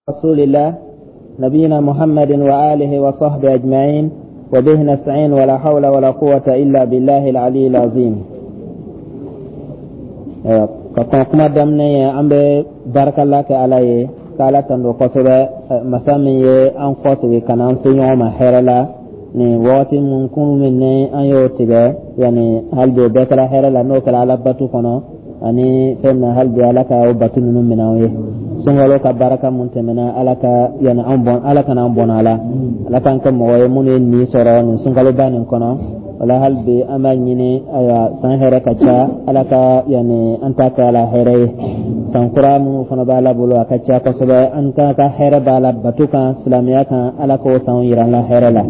رسول الله نبينا محمد وآله وصحبه أجمعين وبه نستعين ولا حول ولا قوة إلا بالله العلي العظيم. Ka kɔn kuma daminɛ ye, an bɛ barikala kɛ Ala ye, k'Ala tando kosɛbɛ, masa min ye an kɔsegin ka na an se ɲɔgɔn ma hɛrɛ la nin wagati mun kun min ni an y'o tigɛ. Yanni hali bi o bɛɛ kɛra hɛrɛ la, n'o kɛra Ala batu kɔnɔ ani fɛn na. Hali bi Ala ka o batu ninnu minɛ anw ye. Sunkalo ka baraka mun tɛmɛna, Ala ka yanni an bɔn, Ala kana an bɔnna a la. Ala k'an kɛ mɔgɔ ye minnu ye nin sɔrɔ nin sunkaloba nin kɔnɔ. Wala hali bi an b'a ɲini, ayiwa, san hɛrɛ ka ca, Ala ka yanni an ta kɛ ala hɛrɛ ye. San kura minnu fana b'a la bolo, a ka ca kosɛbɛ, an ka hɛrɛ b'a la bato kan, silamɛya kan. Ala k'o sanw yira an la hɛrɛ la,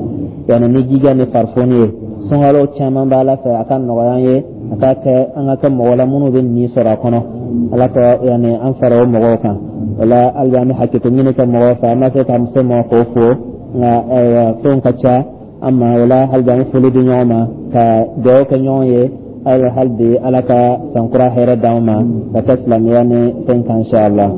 yanni ni jija ni farifoni ye. Sunkalo caman b'a la fɛ, a ka nɔgɔya an ye, a ka kɛ an ka kɛ mɔgɔ la minnu bɛ nin sɔrɔ a kɔnɔ. Ala ka yanni an fara o mɔgɔw kan. Wala hali bi an bɛ hakɛto ɲini kɛ mɔgɔw fɛ, an ma se ka se mɔgɔ k'o fo, nka ayiwa, fɛnw ka ca an ma. Wala hali bi an bɛ foli di ɲɔgɔn ma, ka dugawu kɛ ɲɔgɔn ye. Ayiwa, hali bi Ala ka sankura hɛrɛ d'anw ma ka kɛ silamɛya ni fɛn kan, inshallah.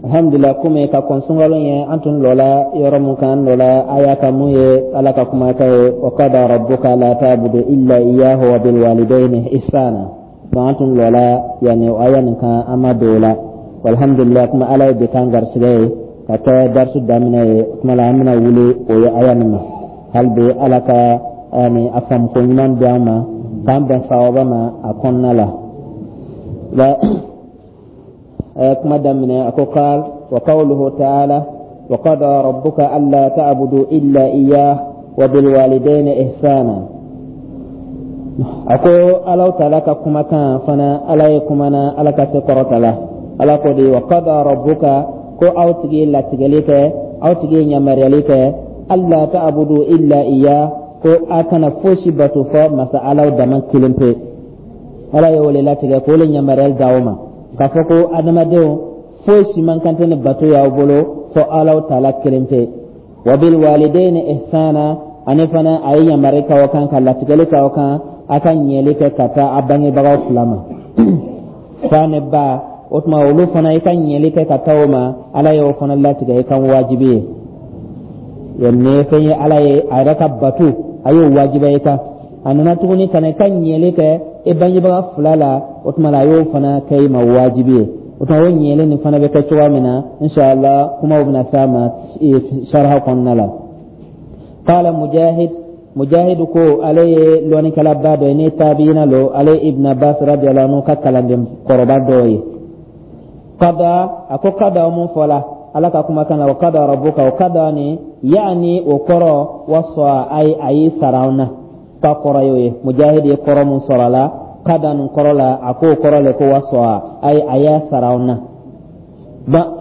Alhamdulillah, komi ka kɔn sunkalo ye, an tun lɔla yɔrɔ mun kan, an lɔla aya kan mun ye Ala ka kumakan ye: wa qada rabbuka la ta'budu illa iyyahu wa bil walidayni ihsana. Donc an tun lɔla yani o aya nin kan, an ma don o la. Alhamdulillah, kuma Ala ye bi k'an garisigɛ ye ka kɛ darisu daminɛ ye. O tuma la an bɛna wuli o ye aya nin ma. Hali bi Ala ka yani a faamuko ɲuman di an ma, k'an bɛn sawaba ma a kɔnɔna la. Kuma daminɛ, a ko: qal wa qawluhu ta'ala wa qada rabbuka alla ta'budu illa iyyah wa bil walidayni ihsana. A ko Alahu taala ka kumakan fana, Ala ye kumana, Ala ka se kɔrɔta la. Ala ko di: wa qada rabbuka, ko aw tigi ye latigɛli kɛ, aw tigi ye yamaruyali kɛ, alla ta'budu illa iya, ko a kana fosi bato fɔ masa Alaw dama kelen pe. Ala ye o le latigɛ, k'o le yamaruyali d'aw ma, k'a fɔ ko adamadenw, fosi man kan tɛ ni bato y'aw bolo fɔ Alaw taala kelen pe. Wa bil walidayni ihsana, ani fana a ye yamari k'aw kan, ka latigɛli k'aw kan, a ka ɲɛli kɛ ka taa a bangebagaw fila ma, fa ni ba. O tuma olu fana, i ka ɲɛli kɛ ka taa o ma, Ala y'o fana latigɛ i kan wajibi ye. Nin ye fɛn ye Ala ye a yɛrɛ ka bato, a y'o wajibiya i kan. A nana tuguni ka na i ka ɲɛli kɛ i bangebaga fila la, o tuma la a y'o fana kɛ i ma wajibi ye. O tuma o ɲɛli nin fana bɛ kɛ cogoya min na, inshallah, kumaw bɛna s'a ma sariha kɔnɔna la. Qala Mujahid, Mujahid ko, ale ye lɔnnikɛlaba dɔ ye ni tabiina lo, ale Ibn Abbas radiyallahu anhu ka kalanden kɔrɔba dɔ ye. Qada, a ko qada mun fɔla Ala ka kumakan na, wa qada rabbuka, o qada ni yaani o kɔrɔ wasa, ay a y'i sara an na, k'a kɔrɔ y'o ye. Mujahid ye kɔrɔ mun sɔrɔ a la qada nin kɔrɔ la, a k'o kɔrɔ le ko wasa, ay a y'a sara an na.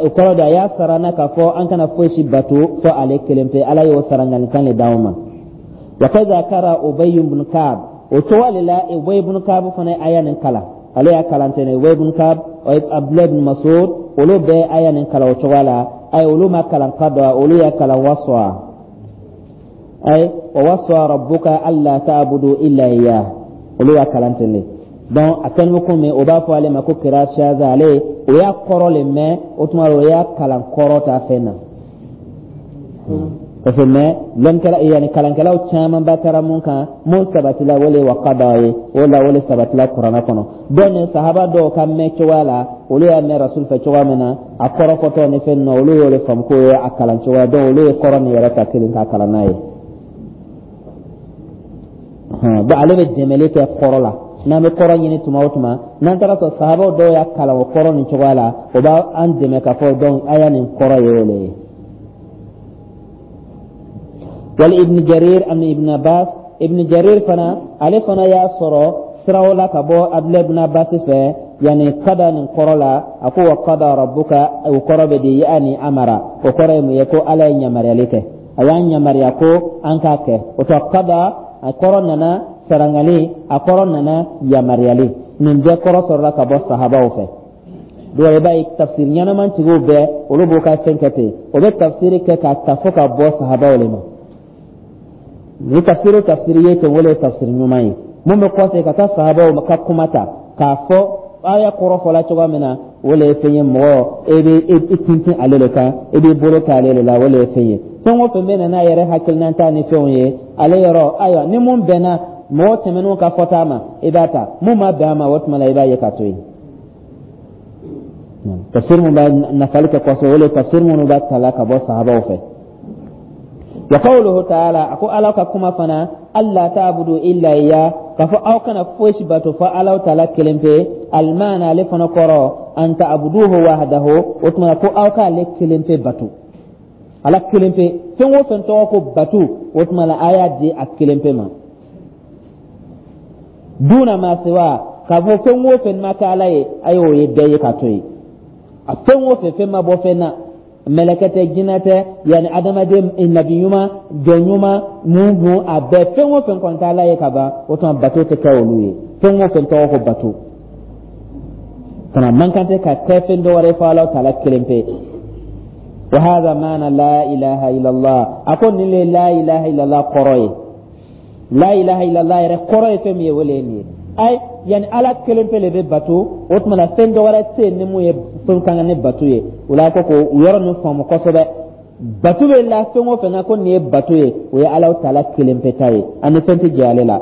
O kɔrɔ de a y'a sara na k'a fɔ an kana foyi si bato fɔ ale kelen pe. Ala y'o sarangalikan le d'anw ma. Wa kaza kara Ubay ibn Ka'b, o cogo le la Ubay ibn Ka'b fana ye aya nin kalan. Ale y'a kalan ten. Ubay ibn Ka'b, Abdullah ibn Mas'ud, olu bɛɛ aya nin kalan o cogo la. Ayi, olu ma kalan qada, olu y'a kalan wasa, ay wa wasa rabbuka alla ta'budu illa iyyah. Olu y'a kalan ten de. Donc a kɛlen bɛ komi o b'a fɔ ale ma ko kira shaza, ale o y'a kɔrɔ le mɛn, o tuma o y'a kalan kɔrɔ ta fɛn na, parce que mais lɔnnikɛla yanni kalankɛlaw caman ba taara mun kan, mun sabatila, o le wa qada ye. O la o le sabatila Kuranɛ kɔnɔ. Donc ni sahaba dɔw ka mɛn cogoya la, olu y'a mɛn Rasul fɛ cogoya min na, a kɔrɔ fɔtɔ ni fɛn ninnu, olu y'o de faamu k'o ye a kalan cogoya. Donc olu ye kɔrɔ nin yɛrɛ ta kelen k'a kalan n'a ye. Donc ale bɛ dɛmɛli kɛ kɔrɔ la. N'an bɛ kɔrɔ ɲini tuma o tuma, n'an taara sɔrɔ sahabaw dɔw y'a kalan o kɔrɔ nin cogoya la, o b'an dɛmɛ k'a fɔ donc aya nin kɔrɔ ye o le ye. Wali Ibn Jarir ani Ibn Abbas, Ibn Jarir fana, ale fana y'a sɔrɔ siraw la ka bɔ Abdulayi ibn Abbas fɛ, yanni kada nin kɔrɔ la, a ko wa qada rabbuka, o kɔrɔ bɛ di yaani amara. O kɔrɔ ye mun ye? Ko Ala ye yamaruyali kɛ, a y'an yamaruya ko an k'a kɛ. O tɔ kada, a kɔrɔ nana sarangali, a kɔrɔ nana yamaruyali. Nin bɛɛ kɔrɔ sɔrɔla ka bɔ sahabaw fɛ. Dɔw i b'a ye, tafsir ɲɛnaman tigiw bɛɛ, olu b'u ka fɛn kɛ ten, o bɛ tafsiri kɛ k'a ta fo ka bɔ sahabaw le ma. Ni tafsiri o tafsiri ye ten, o le ye tafsiri ɲuman ye. Mun bɛ kɔsegin ka taa sahabaw ka kuma ta k'a fɔ aya kɔrɔ fɔla cogoya min na, o le ye fɛn ye mɔgɔ e bɛ i tintin ale de kan, i b'i bolo kɛ ale de la, o le ye fɛn ye. Fɛn o fɛn bɛ na n'a yɛrɛ hakilinata ni fɛnw ye ale yɔrɔ, ayiwa, ni mun bɛnna mɔgɔ tɛmɛnenw ka fɔta ma, i b'a ta. Mun ma bɛn a ma, o tuma la i b'a ye ka to yen. Tafsir mun b'a nafali kɛ kosɛbɛ, o le ye tafsir minnu b'a tala ka bɔ sahabaw fɛ. Wa qawluhu ta'ala, a ko Ala ka kuma fana, alla ta'budu illa iya, k'a fɔ aw kana fosi bato fo Ala taala kelen pe. Almaana, ale fana kɔrɔ, an ta'buduhu wahdahu, o tuma ko aw k'ale kelen pe bato, Ala kelen pe. Fɛn o fɛn tɔgɔ ko bato, o tuma la a y'a di a kelen pe ma. Duna ma siwa, k'a fɔ fɛn o fɛn ma kɛ Ala ye, a y'o ye bɛɛ ye ka to yen. A fɛn o fɛn, fɛn ma bɔ fɛn na, mɛlɛkɛ tɛ, jinɛ tɛ, yanni adamaden, nabi ɲuman, jɔn ɲuman, mun dun, a bɛɛ, fɛn o fɛn kɔni tɛ Ala ye ka ban, o tuma bato tɛ kɛ olu ye. Fɛn o fɛn tɔgɔ ko bato fana man kan tɛ ka kɛ fɛn dɔ wɛrɛ fo Ala taala kelen pe. Wa hadha maana la ilaha illallah, a ko nin le la ilaha illallah kɔrɔ ye. La ilaha illallah yɛrɛ kɔrɔ ye fɛn min ye, o le ye nin ye. Ayi, yanni Ala kelen pe le bɛ bato, o tuma na fɛn dɔ wɛrɛ tɛ yen ni mun ye fɛn kan ka ni bato ye. O la ko o yɔrɔ ninnu faamu kosɛbɛ. Bato bɛ la fɛn o fɛn na ko nin ye bato ye, o ye Ala taala kelen pe ta ye, ani fɛn tɛ jɛ ale la.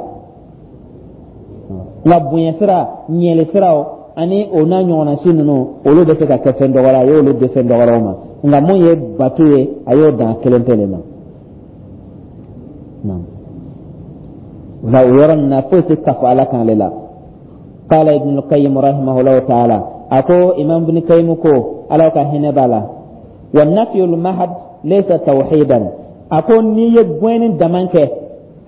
Nka bonya sira, ɲɛli siraw ani o n'a ɲɔgɔnna si ninnu, olu bɛ se ka kɛ fɛn dɔ wɛrɛ, a y'olu di fɛn dɔ wɛrɛw ma. Nka mun ye bato ye, a y'o dan kelen pe le ma. Nka o yɔrɔ nin na, foyi tɛ kafo Ala kan ale la. Qala Ibn al-Qayyim rahimahullahu ta'ala, a ko Imam Ibn Qayyim ko, Ala ka hinɛ b'a la, wa nafyul mahad laysa tawhidan. A ko n'i ye gɛnni daman kɛ,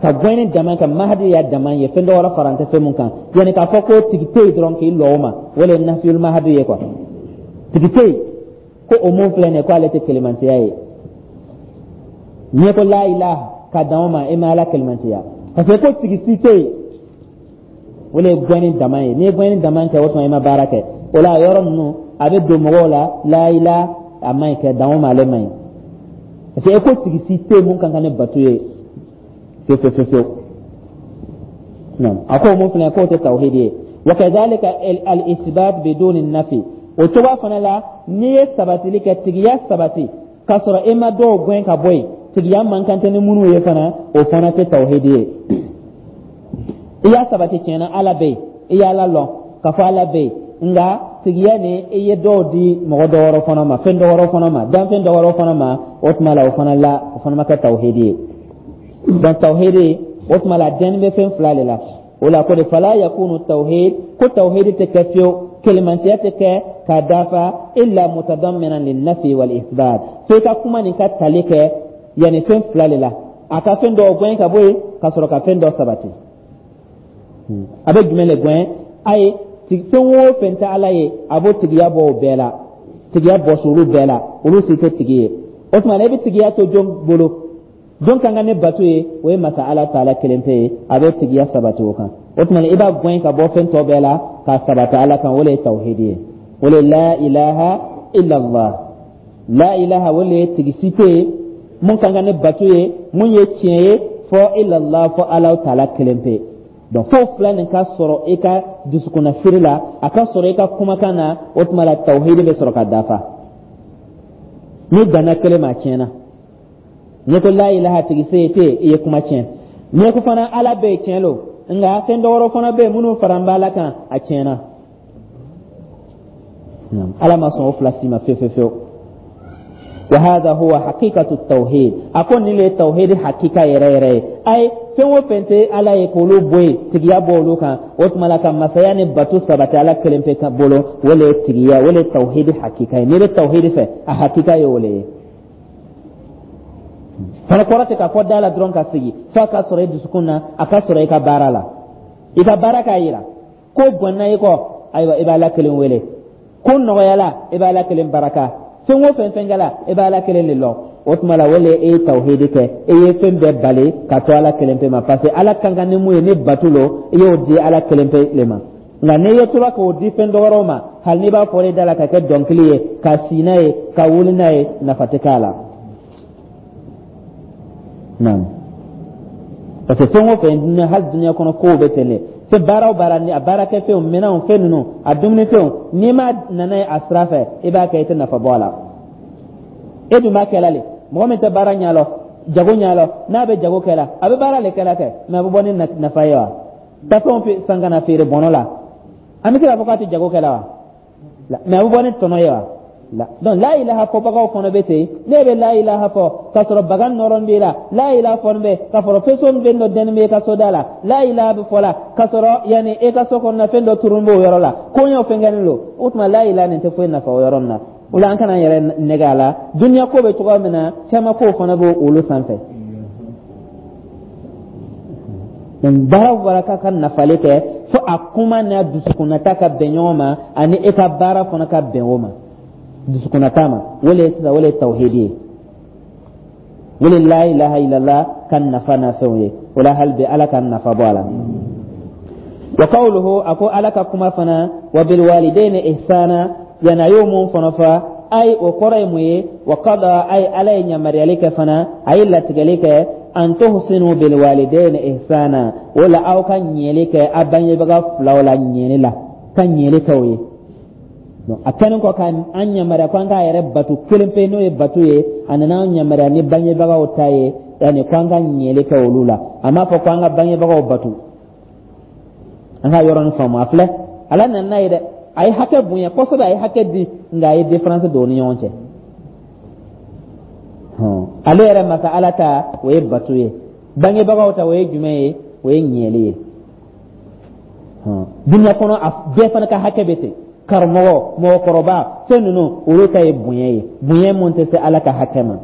ka gɛnni daman kɛ, mahadi y'a daman ye, fɛn dɔ wɛrɛ fara tɛ fɛn mun kan, yanni k'a fɔ ko tigi tɛ yen dɔrɔn k'i lɔ o ma, o le ye nafyul mahadi ye quoi. Tigi tɛ yen ko o mun filɛ nin ye, ko ale tɛ kelemantiya ye. N'i ko la ilaha ka dan o ma, e ma Ala kelemantiya, parce que ko tigi si tɛ yen, o le ye gɛnni dama ye. N'i ye gɛnni dama kɛ, o tuma i ma baara kɛ. O la a yɔrɔ ninnu a bɛ don mɔgɔw la, la ilaha a man ɲi kɛ dan o ma, ale man ɲi, parce que e ko tigi si tɛ yen mun ka kan ni bato ye fewu fewu fewu. A ko mun filɛ, k'o tɛ tawhidi ye. Wa kadhalika al isbat biduni nafi, o cogoya fana la, n'i ye sabatili kɛ, tigiya sabati k'a sɔrɔ e ma dɔw gɛn ka bɔ yen, tigiya man kan tɛ ni minnu ye fana, o fana tɛ tawhidi ye. I y'a sabati tiɲɛ na Ala bɛ yen, i y'Ala lɔn k'a fɔ Ala bɛ yen, nka tigiya ni i ye dɔw di mɔgɔ dɔ wɛrɛ fana ma, fɛn dɔ wɛrɛ fana ma, danfɛn dɔ wɛrɛ fana ma, o tuma la o fana la, o fana ma kɛ tawhidi ye. Donc tawhidi, o tuma la, dɛnni bɛ fɛn fila de la. O la ko de fala yakunu tawhid, ko tawhidi tɛ kɛ fiyewu, kelemantiya tɛ kɛ k'a dafa, illa mutadamminan linnafi wal isbat, fo i ka kuma nin ka tali kɛ yanni fɛn fila de la, a ka fɛn dɔw gɛn ka bɔ yen ka sɔrɔ ka fɛn dɔ sabati. A bɛ jumɛn de gɛn? A ye fɛn o fɛn tɛ Ala ye, a b'o tigiya bɔ o bɛɛ la, tigiya bɔsi olu bɛɛ la, olu si tɛ tigi ye. O tuma na i bɛ tigiya to jɔn bolo? Jɔn kan ka ni bato ye? O ye masa Ala taala kelen pe ye. A bɛ tigiya sabati o kan. O tuma i b'a gɛn ka bɔ fɛn tɔ bɛɛ la k'a sabati Ala kan. O le ye tawhidi ye, o le la ilaha illallah. La ilaha, o le ye tigi si tɛ yen mun kan ka ni bato ye, mun ye tiɲɛ ye, fɔ illallah, fɔ Ala taala kelen pe. Donc fo fila nin ka sɔrɔ i ka dusukunnasiri la, a ka sɔrɔ i ka kumakan na, o tuma la tawhidi bɛ sɔrɔ ka dafa. N'i danna kelen ma, a tiɲɛna. N'i ko la ilaha, tigi se tɛ, i ye kuma tiɲɛ. N'i ko fana Ala bɛ yen, tiɲɛ lo, nka fɛn dɔ wɛrɛ fana bɛ yen minnu fara b'Ala kan, a tiɲɛna. Ala ma sɔn o fila si ma fewu fewu fewu. Wa hadha huwa haqiqatu tawhid, a ko nin le ye tawhid hakika yɛrɛ yɛrɛ ye. Ayi, fɛn o fɛn tɛ Ala ye, k'olu bɔ yen, tigiya bɔ olu kan, o tuma la ka masaya ni bato sabati Ala kelen pe ka bolo, o le ye tigiya, o le ye tawhid hakika ye. N'i bɛ tawhid fɛ, a hakika ye o le ye fana. Kɔrɔ tɛ k'a fɔ da la dɔrɔn ka sigi, f'a ka sɔrɔ i dusukun na, a ka sɔrɔ i ka baara la. I ka baara k'a yira ko gwanna i kɔ, ayiwa, i b'Ala kelen wele. Ko nɔgɔyala, i b'Ala kelen baraka. Fɛn o fɛn fɛn kɛla, i b'Ala kelen de lɔn. O tuma la o le e ye tawhidi kɛ, e ye fɛn bɛɛ bali ka to Ala kelen pe ma, parce que Ala kan ka ni mun ye ni bato lo, i y'o di Ala kelen pe le ma. Nka n'i ye tora k'o di fɛn dɔ wɛrɛw ma, hali n'i b'a fɔ i da la ka kɛ dɔnkili ye, ka si n'a ye, ka wuli n'a ye, nafa tɛ k'a la. Naam, parce que fɛn o fɛn, hali dunuya kɔnɔ kow bɛ ten de. Fɛn baara o baara, ni a baarakɛfɛnw, minɛnw, fɛn ninnu, a dumunifɛnw, n'i ma nana ye a sira fɛ, i b'a kɛ, i tɛ nafa bɔ a la. E dun b'a kɛla le. Mɔgɔ min tɛ baara ɲɛ lɔn, jago ɲɛ lɔn, n'a bɛ jago kɛ la, a bɛ baara le kɛla kɛ, mais a bɛ bɔ ni nafa ye wa? Taa fɛnw san ka na feere bɔnɔ la, an bɛ se k'a fɔ k'a tɛ jago kɛ la wa? Mais a bɛ bɔ ni tɔnɔ ye wa? La. Donc la ilaha fɔbagaw fana bɛ ten. Ne bɛ la ilaha fɔ k'a sɔrɔ bagan nɔrɔn b'i la, la ilaha fɔ bɛ k'a sɔrɔ faso fɛn dɔ dɛnni bɛ i ka so da la, la ilaha bɛ fɔ la k'a sɔrɔ yanni e ka so kɔnɔna fɛn dɔ turun b'o yɔrɔ la, koɲɛw fɛn kɛlen don. O tuma, la ilaha nin tɛ foyi nafa o yɔrɔ nin na. O la, an kana yɛrɛ nɛgɛ a la. Duniya ko bɛ cogoya min na, caman kow fana b'o olu sanfɛ. Baara o baara k'a ka nafali kɛ, fo a kuma n'a dusukunnata ka bɛn ɲɔgɔn ma, ani e ka baara fana ka bɛn o ma, dusukunnata ma. O le sisan, o le ye tawhidi ye, o le la ilaha illallah ka nafa n'a fɛnw ye. O la, hali bi, Ala ka nafa bɔ a la. Wa qawluhu, a ko Ala ka kuma fana, wa bil walidayni ihsana, yani a y'o mun fana fɔ, ay, o kɔrɔ ye mun ye? Wa qada, ay, Ala ye yamaruyali kɛ fana, a ye latigɛli kɛ, an tuhsinu bil walidayni ihsana, o la aw ka ɲɛli kɛ a bangebaga filaw la, ɲɛli la, ka ɲɛli kɛ o ye. A kɛlen kɔ ka an yamaruya ko an k'a yɛrɛ batu kelen pe, n'o ye batu ye, a nana an yamaruya ni bangebagaw ta ye, yanni ko an ka ɲɛli kɛ olu la. A m'a fɔ ko an ka bangebagaw batu. An ka yɔrɔnin faamu. A filɛ, Ala nana n'a ye dɛ, a ye hakɛ bonya kosɛbɛ, a ye hakɛ di, nka a ye différence don u ni ɲɔgɔn cɛ. Ale yɛrɛ masa Ala ta, o ye batu ye. Bangebagaw ta, o ye jumɛn ye? O ye ɲɛli ye. Dunuya kɔnɔ, a bɛɛ fana ka hakɛ bɛ ten. Karamɔgɔ, mɔgɔkɔrɔba, fɛn ninnu, olu ta ye bonya ye, bonya mun tɛ se Ala ka hakɛ ma.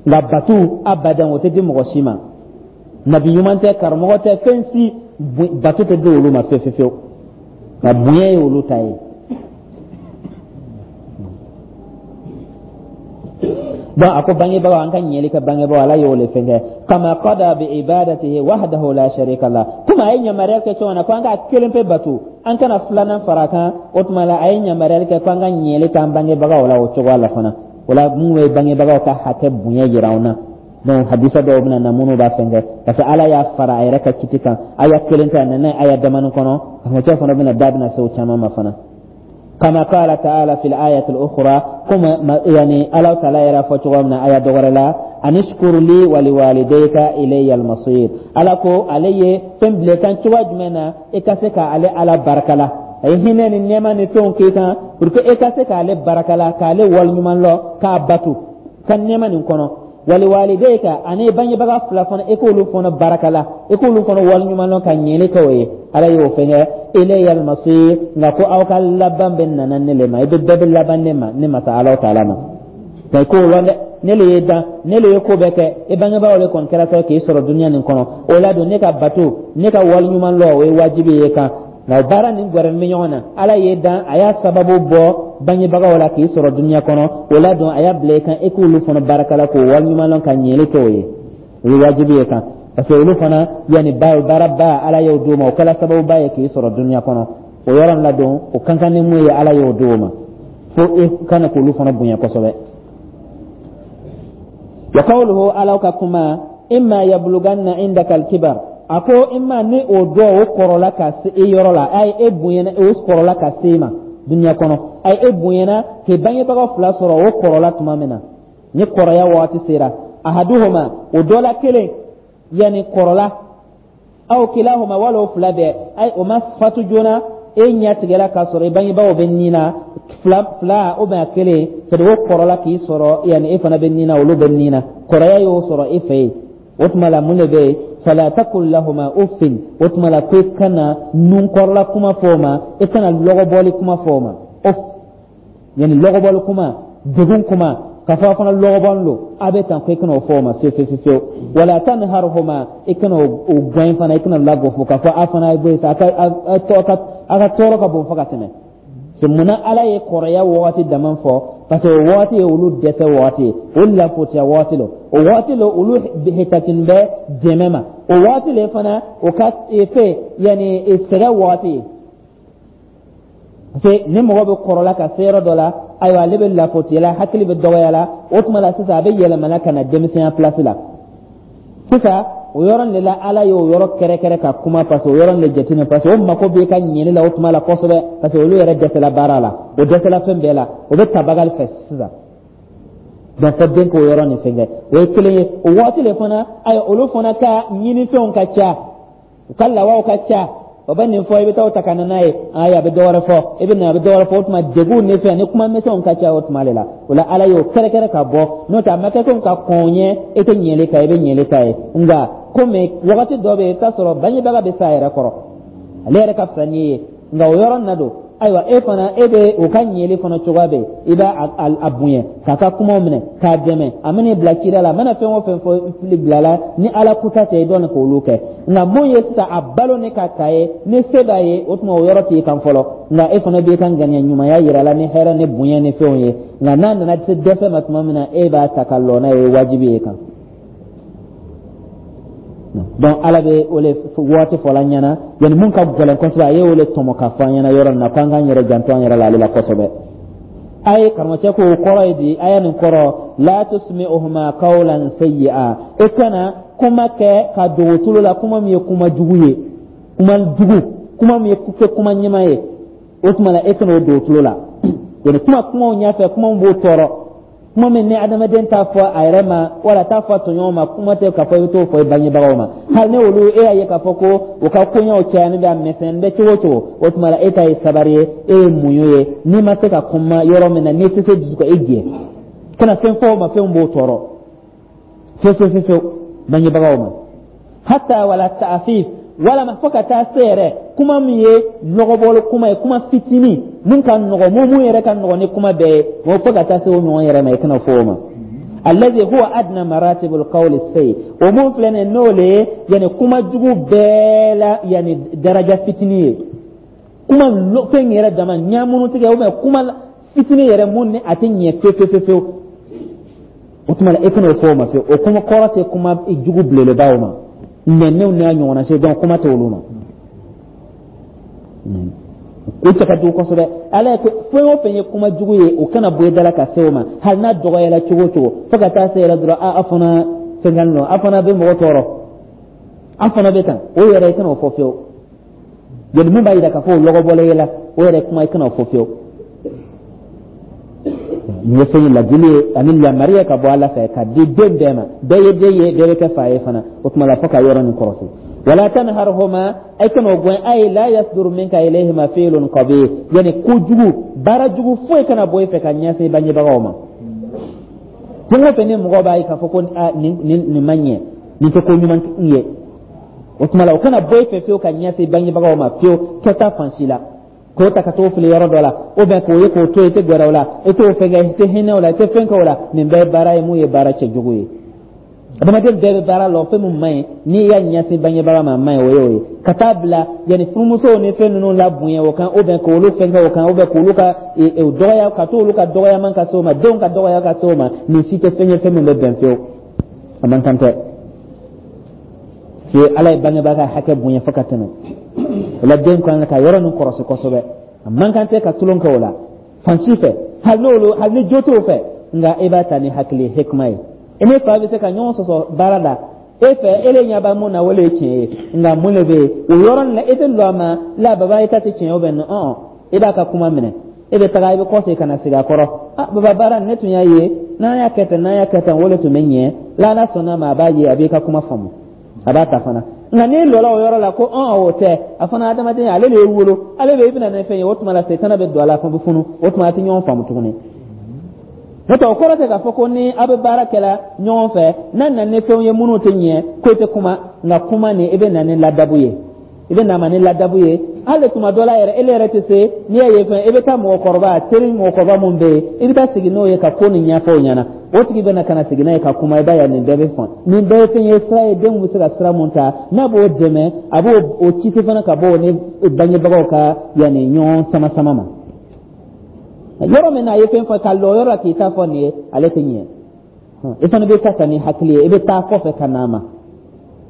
Nka batu, abadan, o tɛ di mɔgɔ si ma. Nabi ɲuman tɛ, karamɔgɔ tɛ, fɛn si, batu tɛ di olu ma fewu fewu fewu, nka bonya ye olu ta ye. Donc a ko bangebagaw, an ka ɲɛli kɛ bangebagaw, Ala y'o le fɛn kɛ. Kama qada bi ibadatihi wahdahu la sharika la, komi a ye yamaruya kɛ cogo min na ko an k'a kelen pe batu, an kana filanan fara a kan, o tuma la a ye yamaruyali kɛ ko an ka ɲɛli k'an bangebagaw la o cogoya la fana. O la, mun ye bangebagaw ka hakɛ bonya jira anw na. Donc hadisa dɔw bɛna na minnu b'a fɛn kɛ, parce que Ala y'a fara a yɛrɛ ka kiti kan. Aya kelen tɛ, a nana aya damani kɔnɔ. Karamɔgɔcɛ fana bɛna da bɛna se o caman ma fana. Kama qala ta'ala fil ayati al-ukhra, kuma yani Ala ta'ala yɛrɛ fɔ cogo min na aya dɔ wɛrɛ la, anishkur li wa liwalidayka ilayya al-masir. Ala ko ale ye fɛn bila kan cogoya jumɛn na e ka se ka ale Ala barika la? A ye hinɛ ni nɛɛma ni fɛnw k'i kan pour que e ka se k'ale barika la, k'ale waleɲuman lɔn, k'a batu ka nɛɛma nin kɔnɔ. Waliwalidayka, ani bangebaga fila fana, e k'olu fana barika la, e k'olu fana waleɲuman lɔn, ka ɲɛli kɛ o ye. Ala y'o fɛn kɛ, ilayya almasir, nka ko aw ka laban bɛ nana ne le ma, i bɛ bɛɛ bɛ laban ne ma, ne masa Ala taala ma. Nka i k'o lɔn dɛ, ne le ye dan, ne le ye ko bɛɛ kɛ. I bangebagaw le kɔni kɛra sababu k'i sɔrɔ dunuya nin kɔnɔ. O la don, ne ka bato, ne ka waleɲuman lɔn, o ye wajibi ye kan. Nka baara nin gɛrɛnin bɛ ɲɔgɔn na. Ala ye dan, a y'a sababu bɔ bangebagaw la k'i sɔrɔ dunuya kɔnɔ. O la don, a y'a bila i kan e k'olu fana barika la, k'o waleɲuman lɔn, ka ɲɛli kɛ o ye. O ye wajibi ye kan, parce que olu fana yanni baaraba Ala y'o d'o ma, o kɛra sababuba ye k'i sɔrɔ dunuya kɔnɔ. O yɔrɔ la don, o kan kan ni mun ye, Ala y'o d'o ma, fo e kana k'olu fana bonya kosɛbɛ. Wa qawluhu, Ala ka kuma, imma yablughanna indaka al-kibar, a ko imma ni o dɔ o kɔrɔla ka se e yɔrɔ la, a ye e bonyana, o kɔrɔla ka se e ma dunuya kɔnɔ, a ye e bonyana k'i bangebaga fila sɔrɔ, o kɔrɔla tuma min na, ni kɔrɔya waati sera, ahaduhuma, o dɔ la kelen, yanni kɔrɔla, aw kilahuma, wala o fila bɛɛ, ayi, o ma fatu joona, e ɲɛ tigɛla k'a sɔrɔ i bangebaaw bɛ nin na, fila fila ou bien a kelen, c'est à dire o kɔrɔla k'i sɔrɔ, yanni e fana bɛ nin na, olu bɛ nin na, kɔrɔya y'o sɔrɔ e fɛ yen. O tuma la, mun de bɛ yen? Fala takul lahuma uffin, o tuma la ko i kana nunkɔrɔla kuma fɔ o ma, i kana lɔgɔbɔli kuma fɔ o ma. Uff, yanni lɔgɔbɔli kuma, degun kuma, k'a fɔ a fana lɔgɔbɔli don, a bɛ tan, ko i kana o fɔ o ma fewu fewu fewu. Wala tanharhuma, i kana o gɛn fana, i kana lagosi k'a fɔ a fana ye bɔ yen sa, a ka tɔɔrɔ ka bon fo ka tɛmɛ. C'est munna Ala ye kɔrɔya wagati dama fɔ? Parce que o wagati ye olu dɛsɛ wagati ye, o lafotiya wagati lo, o wagati lo olu hitatin bɛ dɛmɛ ma, o wagati le fana o ka fɛ yanni sɛgɛn wagati ye. Parce que ni mɔgɔ bɛ kɔrɔla ka se yɔrɔ dɔ la, ayiwa, ale bɛ lafotiya la, hakili bɛ dɔgɔya la. O tuma la sisan, a bɛ yɛlɛmana ka na denmisɛnya place la sisan. O yɔrɔ de la, Ala y'o yɔrɔ kɛrɛkɛrɛ ka kuma, parce que o yɔrɔ de jateminɛ, parce que o mako b'i ka ɲɛli la o tuma la kosɛbɛ, parce que olu yɛrɛ dɛsɛla baara la, o dɛsɛla fɛn bɛɛ la, o bɛ tabagali fɛ sisan. Donc fɔ den k'o yɔrɔ nin fɛn kɛ, o ye kelen ye. O waati le fana, ayiwa, olu fana ka ɲinifɛnw ka ca, u ka lawaw ka ca. O bɛ nin fɔ, i bɛ taa o ta ka na n'a ye. Ayi, a bɛ dɔ wɛrɛ fɔ, i bɛ na, a bɛ dɔ wɛrɛ fɔ. O tuma degun ni fɛn ni kuma misɛnw ka ca o tuma de la. O la, Ala y'o kɛrɛkɛrɛ ka bɔ, n'o tɛ a ma kɛ komi ka kɔn ɲɛ e tɛ ɲɛli ta, i bɛ ɲɛli ta ye. Nka komi wagati dɔ bɛ yen, i bɛ t'a sɔrɔ bangebaga bɛ s'a yɛrɛ kɔrɔ, ale yɛrɛ ka fisa n'i ye. Nka o yɔrɔ na don, ayiwa, e fana, e bɛ o ka ɲɛli fana cogoya bɛ yen, i b'a a bonya, k'a ka kumaw minɛ, k'a dɛmɛ. A mana bila cida la, a mana fɛn o fɛn fɔ fili bila la, ni Ala kuta tɛ, i dɔn k'olu kɛ. Nka mun ye sisan, a balo ni ka ta ye, ni se b'a ye, o tuma o yɔrɔ t'i kan fɔlɔ. Nka e fana b'i ka ŋaniya ɲumanya yira la ni hɛrɛ ni bonya ni fɛnw ye. Nka n'a nana se dɛsɛ ma tuma min na, e b'a ta ka lɔ n'a ye, o ye wajibi ye kan. Donc Ala bɛ o le waati fɔla an ɲɛna, yanni mun ka gɛlɛn kosɛbɛ, a ye o le tɔmɔ ka fɔ an ɲɛna yɔrɔ nin na, k'an k'an yɛrɛ janto an yɛrɛ la ale la kosɛbɛ. A ye karamɔgɔcɛ ko o kɔrɔ ye di? A ye nin kɔrɔ: la tusmi'uhuma qawlan sayyi'a, e kana kuma kɛ ka dogo tulo la, kuma min ye kuma jugu ye, kuma jugu, kuma min ye kɛ kuma ɲuman ye. O tuma na, e kana o dogo tulo la, yani kuma kumaw ɲɛfɛ, kuma min b'o tɔɔrɔ, kuma min ni adamaden t'a fɔ a yɛrɛ ma wala t'a fɔ a tɔɲɔgɔn ma, kuma tɛ k'a fɔ i bɛ t'o fɔ i bangebagaw ma. Hali ni olu e y'a ye k'a fɔ ko u ka koɲɛw cayani bɛ, a misɛnnin bɛ cogo o cogo, o tuma la e ta ye sabari ye, e ye muɲu ye. N'i ma se ka kuma yɔrɔ min na, n'i tɛ se dusu ka e jɛ, kana fɛn fɔ o ma fɛn b'o tɔɔrɔ fewu fewu fewu bangebagaw ma. Hatta wala taafif, walama fo ka taa se yɛrɛ kuma min ye lɔgɔbɔli kuma ye, kuma fitinin mun ka nɔgɔ, mun yɛrɛ ka nɔgɔ ni kuma bɛɛ ye o, fo ka taa se o ɲɔgɔn yɛrɛ ma, i kana fɔ o ma. Alladhi huwa adna maratibul qawli sayyi, o mun filɛ nin n'o le ye, yani kuma jugu bɛɛ la, yani daraja fitinin ye, kuma fɛn yɛrɛ dama ɲamunu tigɛ, ou bien kuma fitinin yɛrɛ mun ni a tɛ ɲɛ fewu fewu fewu, o tuma la e kana o fɔ o ma fewu. O kuma kɔrɔ tɛ kuma jugu belebelebaw ma, nɛnɛw n'a ɲɔgɔnna se, donc kuma tɛ olu ma. O cɛ ka jugu kosɛbɛ. Ala ye fɛn o fɛn ye kuma jugu ye, o kana bɔ i da la ka se o ma, hali n'a dɔgɔyara cogo o cogo, fo ka taa se yɛrɛ dɔrɔn a fana fɛn kan nɔ, a fana bɛ mɔgɔ tɔɔrɔ, a fana bɛ tan, o yɛrɛ i kana o fɔ fiyewu. Yali mun b'a yira k'a fɔ o lɔgɔbɔlen ye la, o yɛrɛ kuma i kana o fɔ fiyewu. Nin ye fɛn ye, ladili ye ani lamari ye ka bɔ Ala fɛ ka di den bɛɛ ma. Bɛɛ ye den ye, bɛɛ bɛ kɛ fa ye fana. O tuma la, fo ka yɔrɔ nin kɔrɔsi. Wala tanharhuma, ay kana o gɛn. Ay la yasduru minka ilayhima fi'lun qabih, yani kojugu, baara jugu foyi kana bɔ i fɛ ka ɲɛsin bangebagaw ma. Fɛn o fɛn ni mɔgɔ b'a ye k'a fɔ ko nin ma ɲɛ, nin tɛ ko ɲuman ye, o tuma la o kana bɔ i fɛ fiyewu ka ɲɛsin bangebagaw ma fiyewu, kɛta fan si la, k'o ta ka t'o fili yɔrɔ dɔ la, ou bien k'o ye k'o to yen, i tɛ gɛrɛ o la, i t'o fɛn kɛ, i tɛ hinɛ o la, i tɛ fɛn kɛ o la. Nin bɛɛ ye baara ye mun ye baara cɛjugu ye. Adamaden bɛɛ bɛ baara la, fɛn min man ɲi, n'i y'a ɲɛsin bangebaga ma, a man ɲi, o ye o ye. Ka taa bila yanni furumusow ni fɛn ninnu la bonya o kan, ou bien k'olu fɛn kɛ o kan, ou bien k'olu ka dɔgɔya, ka t'olu ka dɔgɔyaman ka se o ma, denw ka dɔgɔya ka se o ma, nin si tɛ fɛn ye fɛn min bɛ bɛn fiyewu, a man kan tɛ. Se Ala ye bangebaa ka hakɛ bonya fo ka tɛmɛ o la. Den kan ka yɔrɔ nin kɔrɔsi kosɛbɛ. A man kan tɛ ka tulon kɛ o la fan si fɛ, hali n'olu, hali ni jo t'o fɛ. Nka e b'a ta ni hakili hikima ye. E ni fa bɛ se ka ɲɔgɔn sɔsɔ baara la, e fɛ, e le ɲɛ b'a mun na, o le ye tiɲɛ ye. Nka mun de bɛ yen o yɔrɔ nin la, e tɛ lɔ a ma la, baba, e ta tɛ tiɲɛ ye, o bɛ nɔ e b'a ka kuma minɛ, e bɛ taga, i bɛ kɔsegin ka na sigi a kɔrɔ: ah baba, baara ne tun y'a ye, n'an y'a kɛ tan, n'an y'a kɛ tan, o de tun bɛ ɲɛ. L'Ala sɔnna ma, a b'a ye, a b'i ka kuma faamu, a b'a ta fana. Nka n'i lɔla o yɔrɔ la ko ɔn o tɛ, a fana adamaden, ale de ye wolo, ale bɛ i bɛna ni fɛn ye, o tuma la setana bɛ don a la, fɛn bɛ funu, o tuma a tɛ ɲɔgɔn faamu tuguni. N'o tɛ, o kɔrɔ tɛ k'a fɔ ko ni aw bɛ baara kɛla ɲɔgɔn fɛ, n'a nana ni fɛnw ye minnu tɛ ɲɛ, ko i tɛ kuma. Nka kuma nin, i bɛ na ni ladabu ye, i bɛ na ma ni ladabu ye. Hali tuma dɔ la yɛrɛ, e yɛrɛ tɛ se, n'i y'a ye fɛn, i bɛ taa mɔgɔkɔrɔba, teri mɔgɔkɔrɔba mun bɛ yen, i bɛ taa sigi n'o ye ka ko nin ɲɛfɔ o ɲɛna. O tigi bɛ na ka na sigi n'a ye ka kuma. I b'a ye nin bɛɛ bɛ fɔn. Nin bɛɛ ye fɛn ye, sira ye, denw bɛ se ka sira mun ta n'a b'o dɛmɛ, a b'o o kisi fana ka bɔ o ni bangebagaw ka yanni ɲɔgɔn sama sama ma. Yɔrɔ min na a ye fɛn fɔ ka lɔ yɔrɔ la k'i ta fɔ nin ye, ale tɛ ɲɛ. I fana bɛ ta ni hakili ye, i bɛ taa kɔfɛ ka na a ma,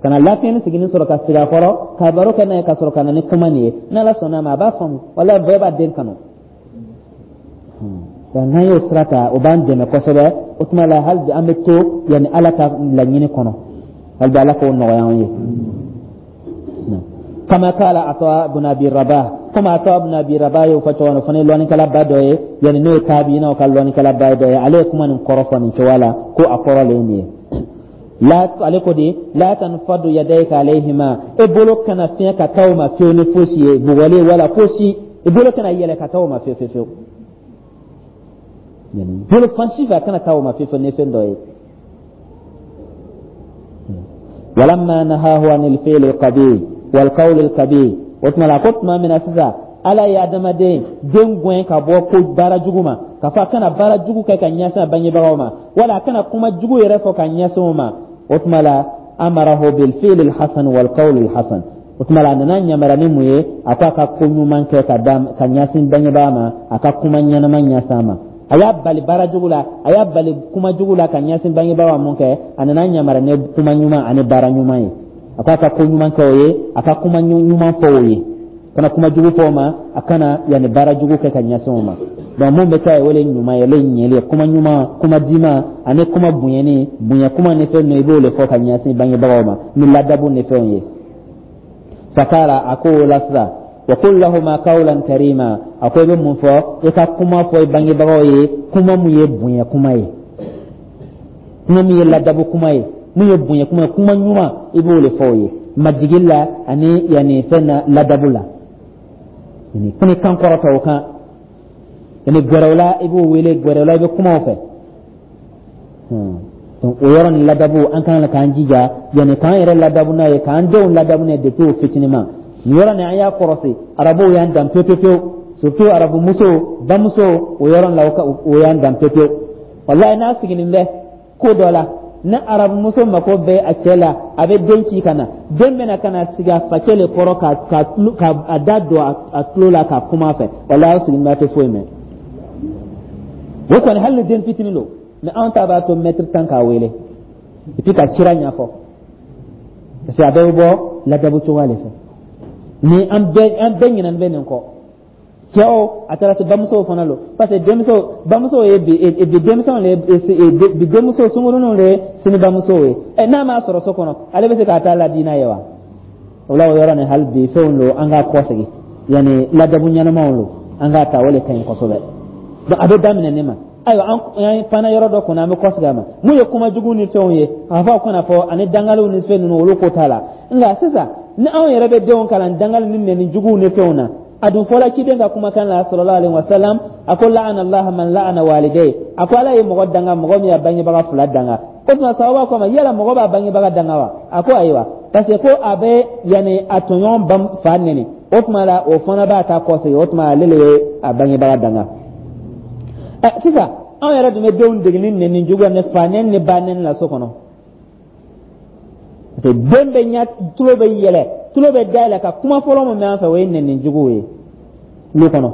ka na lafiyɛni sigini sɔrɔ ka sigi a kɔrɔ ka baro kɛ n'a ye, ka sɔrɔ ka na ni kuma nin ye. N'Ala sɔnna a ma, a b'a faamu. Wala bɛɛ b'a den kanu. N'an y'o sira ta, o b'an dɛmɛ kosɛbɛ. O tuma la, hali bi an bɛ to yanni Ala ka laɲini kɔnɔ. Hali bi, Ala k'o nɔgɔya an ye. Kama kala Ata ibn Abi Rabah, komi Ata ibn Abi Rabah y'o fɔ cogo min na, o fana ye lɔnnikɛlaba dɔ ye, yanni n'o ye tabiinaw ka lɔnnikɛlaba dɔ ye. Ale ye kuma nin kɔrɔ fɔ nin cogoya la, ko a kɔrɔ le ye nin ye la. Ale ko di: la tanfadu yadayka alayhima, e bolo kana fiɲɛ ka taa o ma fiyewu ni fosi ye, bugɔli wala fosi, i bolo kana yɛlɛ ka taa o ma fiyewu fiyewu fiyewu. Bolo fan si fɛ, a kana taa o ma fiyewu fiyewu ni fɛn dɔ ye. Walamma nahahu anil fi'l al-qabih wal qawl al-qabih, o tuma la, ko tuma min na sisan Ala ye adamaden den gɛn ka bɔ ko baara jugu ma, k'a fɔ a kana baara jugu kɛ ka ɲɛsin a bangebagaw ma, wala a kana kuma jugu yɛrɛ fɔ ka ɲɛsin o ma, o tuma la, amarahu bil fi'l al-hasan wal qawl al-hasan. O tuma la, a nana yamaruya ni mun ye? A ko a ka ko ɲuman kɛ ka da ka ɲɛsin bangebaa ma, a ka kuma ɲɛnama ɲɛsin a ma. A y'a bali baara jugu la, a y'a bali kuma jugu la ka ɲɛsin bangebaa ma. Mun kɛ? A nana yamaruya ni kuma ɲuman ani baara ɲuman ye. A ko a ka ko ɲuman kɛ o ye, a ka kuma ɲuman fɔ o ye, kana kuma jugu fɔ o ma, a kana yanni baara jugu kɛ ka ɲɛsin o ma. Donc mun bɛ kɛ, o le ɲuman ye, o le ɲɛli ye. Kuma ɲuman, kuma diman ani kuma bonyani, bonya kuma ni fɛn ninnu, i b'o le fɔ ka ɲɛsin bangebagaw ma ni ladabu ni fɛnw ye. Fakala, a ko o la sisan: wa qul lahuma qawlan karima. A ko i bɛ mun fɔ? I ka kuma fɔ i bangebagaw ye, kuma mun ye bonya kuma ye, kuma min ye ladabu kuma ye, mun ye bonya kuma ye, kuma ɲuman, i b'o le fɔ o ye majigi la ani yanni fɛn na, ladabu la, yani kuni kan kɔrɔta o kan, yani gɛrɛw la, i b'o wele gɛrɛw la, i bɛ kuma o fɛ. Donc o yɔrɔ ni ladabu, an kan k'an jija yanni k'an yɛrɛ ladabu n'a ye, k'an denw ladabu n'a ye depuis o fitinin ma. Nin yɔrɔ nin, an y'a kɔrɔsi, Arabuw y'an dan pewu pewu pewu, surtout Arabu muso, bamuso, o yɔrɔ la, o y'an dan pewu pewu. Walayi, n'a sigilen bɛ ko dɔ la, ni Arabu muso mako bɛ a cɛ la, a bɛ den ci ka na. Den bɛna ka na sigi a facɛ le kɔrɔ ka a da don a tulo la ka kuma a fɛ. Walayi, aw sigilen bɛ, a tɛ foyi mɛn. O kɔni, hali ni den fitinin don. Mais anw ta b'a to mɛtiri 10 k'a wele et puis ka sira ɲɛfɔ, parce que a bɛɛ bɛ bɔ ladabu cogoya de fɛ. Ni an bɛɛ ɲinɛn bɛ nin kɔ, cɛw, a taara se bamusow fana lo, parce que denmuso, bamusow ye bi denmisɛnw le, bi denmuso sunkuruninw le ye sini bamusow ye. Ɛ, n'a m'a sɔrɔ so kɔnɔ, ale bɛ se k'a ta ladi n'a ye wa? O la, o yɔrɔ nin, hali bi fɛnw lo, an k'a kɔsegin, yanni ladabu ɲɛnamaw lo, an k'a ta, o le ka ɲi kosɛbɛ. Donc a bɛ daminɛ ne ma. Ayiwa, an fana yɔrɔ dɔ kɔnɔ, an bɛ kɔsegin a ma. Mun ye kuma jugu ni fɛnw ye, a fɔ kana fɔ ani dangaliw ni fɛn ninnu, olu ko t'a la. Nka sisan, ni anw yɛrɛ bɛ denw kalan dangali ni nɛni juguw ni fɛnw na, a dun fɔla ciden ka kumakan la, sallallahu alaihi wasallam, a ko: la'ana Allah man la'ana walidayhi. A ko Ala ye mɔgɔ danga, mɔgɔ min y'a bangebaga fila danga. O tuma sahaba ko ma: yala mɔgɔ b'a bangebaga danga wa? A ko ayiwa, parce que ko a bɛ yanni a tɔɲɔgɔn ban fa nɛni, o tuma la, o fana b'a ta kɔsegin. O tuma ale le ye a bangebaga danga. Ɛ, sisan anw yɛrɛ dun bɛ denw dege ni nɛni juguya ni fa nɛni ni ba nɛni la so kɔnɔ, parce que den bɛ ɲa, tulo bɛ yɛlɛ, tulo bɛ dayɛlɛ ka kuma fɔlɔ min bɛ an fɛ, o ye nɛni juguw ye lu kɔnɔ,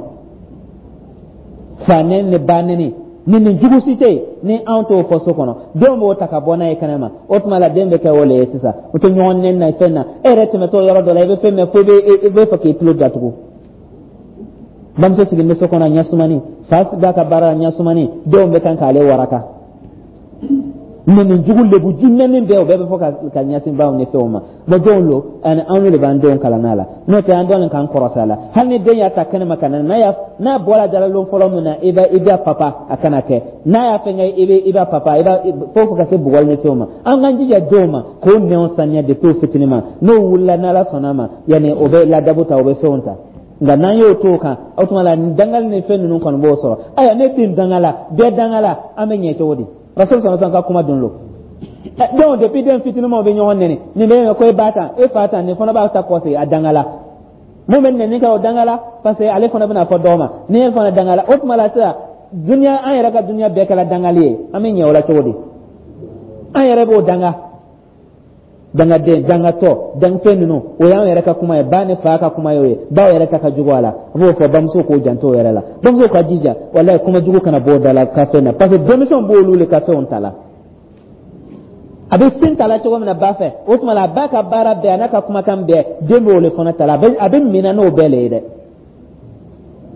fa nɛni ni ba nɛni. Ni jugu si tɛ yen ni anw t'o fɔ so kɔnɔ, denw b'o ta ka bɔ n'a ye kɛnɛ ma. O tuma la, den bɛ kɛ o le ye sisan, o tɛ ɲɔgɔn nɛni na fɛn na. E yɛrɛ tɛmɛtɔ yɔrɔ dɔ la, i bɛ fɛn mɛn fo i bɛ fɛ k'i tulo datugu. Bamuso sigilen bɛ so kɔnɔ ɲɛsumani, fa b'a ka baara la ɲɛsumani, denw bɛ kan k'ale waraka. Nɛni jugu, lebu ju, nɛni bɛɛ, o bɛɛ bɛ fɔ ka ɲɛsin baw ni fɛnw ma. Bon, denw lo, ani anw de b'an denw kalan n'a la, n'o tɛ an dɔɔnin k'an kɔrɔsɛ a la. Hali ni den y'a ta kɛnɛma ka na, n'a y'a n'a bɔra dalalon fɔlɔ min na, i b'a papa, a kana kɛ n'a y'a fɛnkɛ, i b'a papa, i b'a fo ka se bugɔli ni fɛnw ma. An k'an jija denw ma k'o nɛnw saniya depuis o fitinin ma. N'o wulila, n'Ala sɔnna a ma, yanni o bɛ ladabu ta, o bɛ fɛnw ta. Nka n'an y'o to o kan, o tuma la, dangali ni fɛn ninnu kɔni b'o sɔrɔ. Ayiwa, ne den dangala, bɛɛ dangala, an bɛ ɲɛ cogo di? Rasul sɔrɔ ka kuma dun lo. Donc depuis den fitininmaw bɛ ɲɔgɔn nɛni, nin bɛ ko e ba tan, e fa tan, nin fana b'a ta kɔsegin, a dangala. Mun bɛ nɛni kɛ, o dangala, parce que ale fana bɛna fɔ dɔw ma ni e fana dangala. O tuma la sisan, dunuya, an yɛrɛ ka dunuya bɛɛ kɛra dangali ye. An bɛ ɲɛ o la cogo di? An yɛrɛ b'o danga, dangaden, dangatɔ, dangafɛn ninnu, o y'an yɛrɛ ka kuma ye, ba ni fa ka kuma ye, o ye baw yɛrɛ ta ka jugu a la. A b'o fɔ bamuso k'o janto o yɛrɛ la. Bamuso ka jija, walayi, kuma jugu kana bɔ o da la ka fɛn na, parce que denmisɛnw b'olu le ka fɛnw ta la. A bɛ sin ta la cogo min na ba fɛ, o tuma la, a ba ka baara bɛɛ, a n'a ka kumakan bɛɛ, den b'o le fana ta la, a bɛ minɛ n'o bɛɛ le ye dɛ.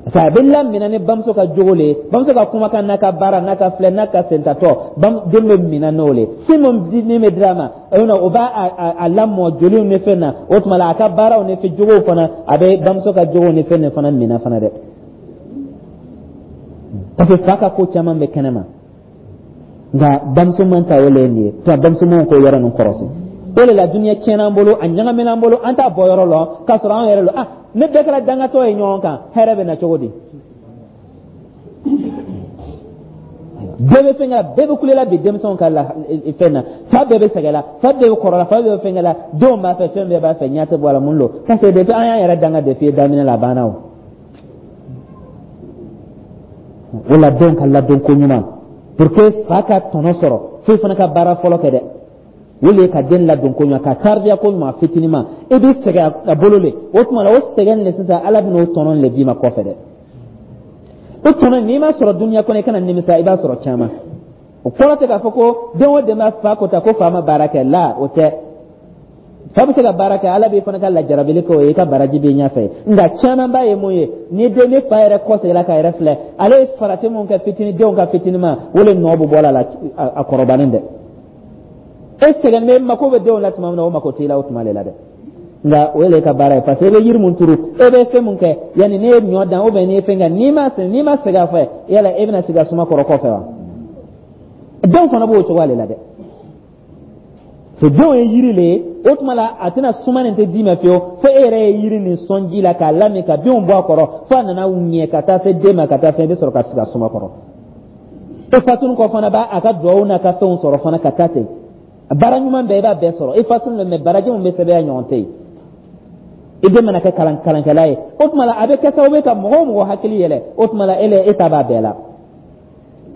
Parce que a bɛ lamina ni bamuso ka jogo le ye, bamuso ka kumakan n'a ka baara n'a ka filɛ n'a ka sentatɔ, den bɛ mina n'o le. Sin min di min bɛ dira a ma, o b'a a lamɔ joliw ni fɛn na. O tuma la, a ka baaraw ni fɛn jogow fana, a bɛ bamuso ka jogow ni fɛn nin fana mina fana dɛ, parce que fa ka ko caman bɛ kɛnɛ ma, nka bamuso man ta o le ye nin ye. Tuma bamusomanw k'o yɔrɔ ninnu kɔrɔsi. O de la duniya tiɲɛna an bolo, a ɲagamina an bolo, an t'a bɔ yɔrɔ lɔn k'a sɔrɔ an yɛrɛ lɔ. Ah, ne bɛɛ kɛra dangatɔ ye ɲɔgɔn kan, hɛrɛ bɛ na cogo di? Bɛɛ bɛ fɛn kɛ, bɛɛ bɛ kulela bi denmisɛnw ka la fɛn na. Fa bɛɛ bɛ sɛgɛn la, fa bɛɛ bɛ kɔrɔ la, fa bɛɛ bɛ fɛn kɛ la, denw b'a fɛ, fɛn bɛɛ b'a fɛ, ɲɛ tɛ bɔ a la. Mun don? Parce que depuis an y'an yɛrɛ danga depuis daminɛ la, a banna. O o la, denw ka ladon ko ɲuman, pour que fa ka tɔnɔ sɔrɔ, fo fana ka baara fɔlɔ kɛ dɛ. O le ye ka den ladon ko ɲuman, ka taribiya ko ɲuman fitinin ma. I bɛ sɛgɛn a bolo le. O tuma la, o sɛgɛn le sisan, Ala bɛna o tɔnɔ le d'i ma kɔfɛ dɛ. O tɔnɔ, n'i m'a sɔrɔ dunuya kɔnɔ, i kana nimisa, i b'a sɔrɔ caman. O kɔrɔ tɛ k'a fɔ ko den o den b'a fa ko ta ko fa ma baara kɛ la, o tɛ. Fa bɛ se ka baara kɛ, Ala b'i fana ka lajarabili kɛ o ye, i ka baraji b'i ɲɛfɛ. Nka caman b'a ye mun ye? Ni den ni fa yɛrɛ kɔseginna k'a yɛrɛ filɛ, ale ye farati mun kɛ fitinin, denw ka fitinin ma, o le nɔ bɛ bɔ a la a kɔrɔbanen dɛ. E sɛgɛn bɛ, mako bɛ denw la tuma min na, o mako t'i la o tuma de la dɛ. Nka o ye ka baara ye, parce que e bɛ yiri mun turu, e bɛ fɛn mun kɛ, yanni n'i ye ɲɔ dan ou bien n'i ye fɛn kɛ, n'i ma sɛgɛn a fɛ, yala e bɛna sigi a suma kɔrɔ kɔfɛ wa? Denw fana b'o cogoya de la dɛ. So denw ye yiri le ye. O tuma la, a tɛna suma nin tɛ d'i ma fiyewu fo e yɛrɛ ye yiri nin sɔn ji la k'a lamin, ka binw bɔ a kɔrɔ, fo a nana ɲɛ ka taa se den ma, ka taa fɛn, i bɛ sɔrɔ ka sigi a suma kɔrɔ. E fatuni kɔ fana b'a a ka duwawu n'a ka fɛnw sɔrɔ fana ka taa ten. Baara ɲuman bɛɛ, i b'a bɛɛ sɔrɔ i fatuni mɛ, baraji min bɛ sɛbɛn a ɲɔgɔn tɛ yen. I den mana kɛ kalankɛla ye, o tuma la a bɛ kɛ sababu ye ka mɔgɔ o mɔgɔ hakili yɛlɛ. O tuma la, e le e ta b'a bɛɛ la.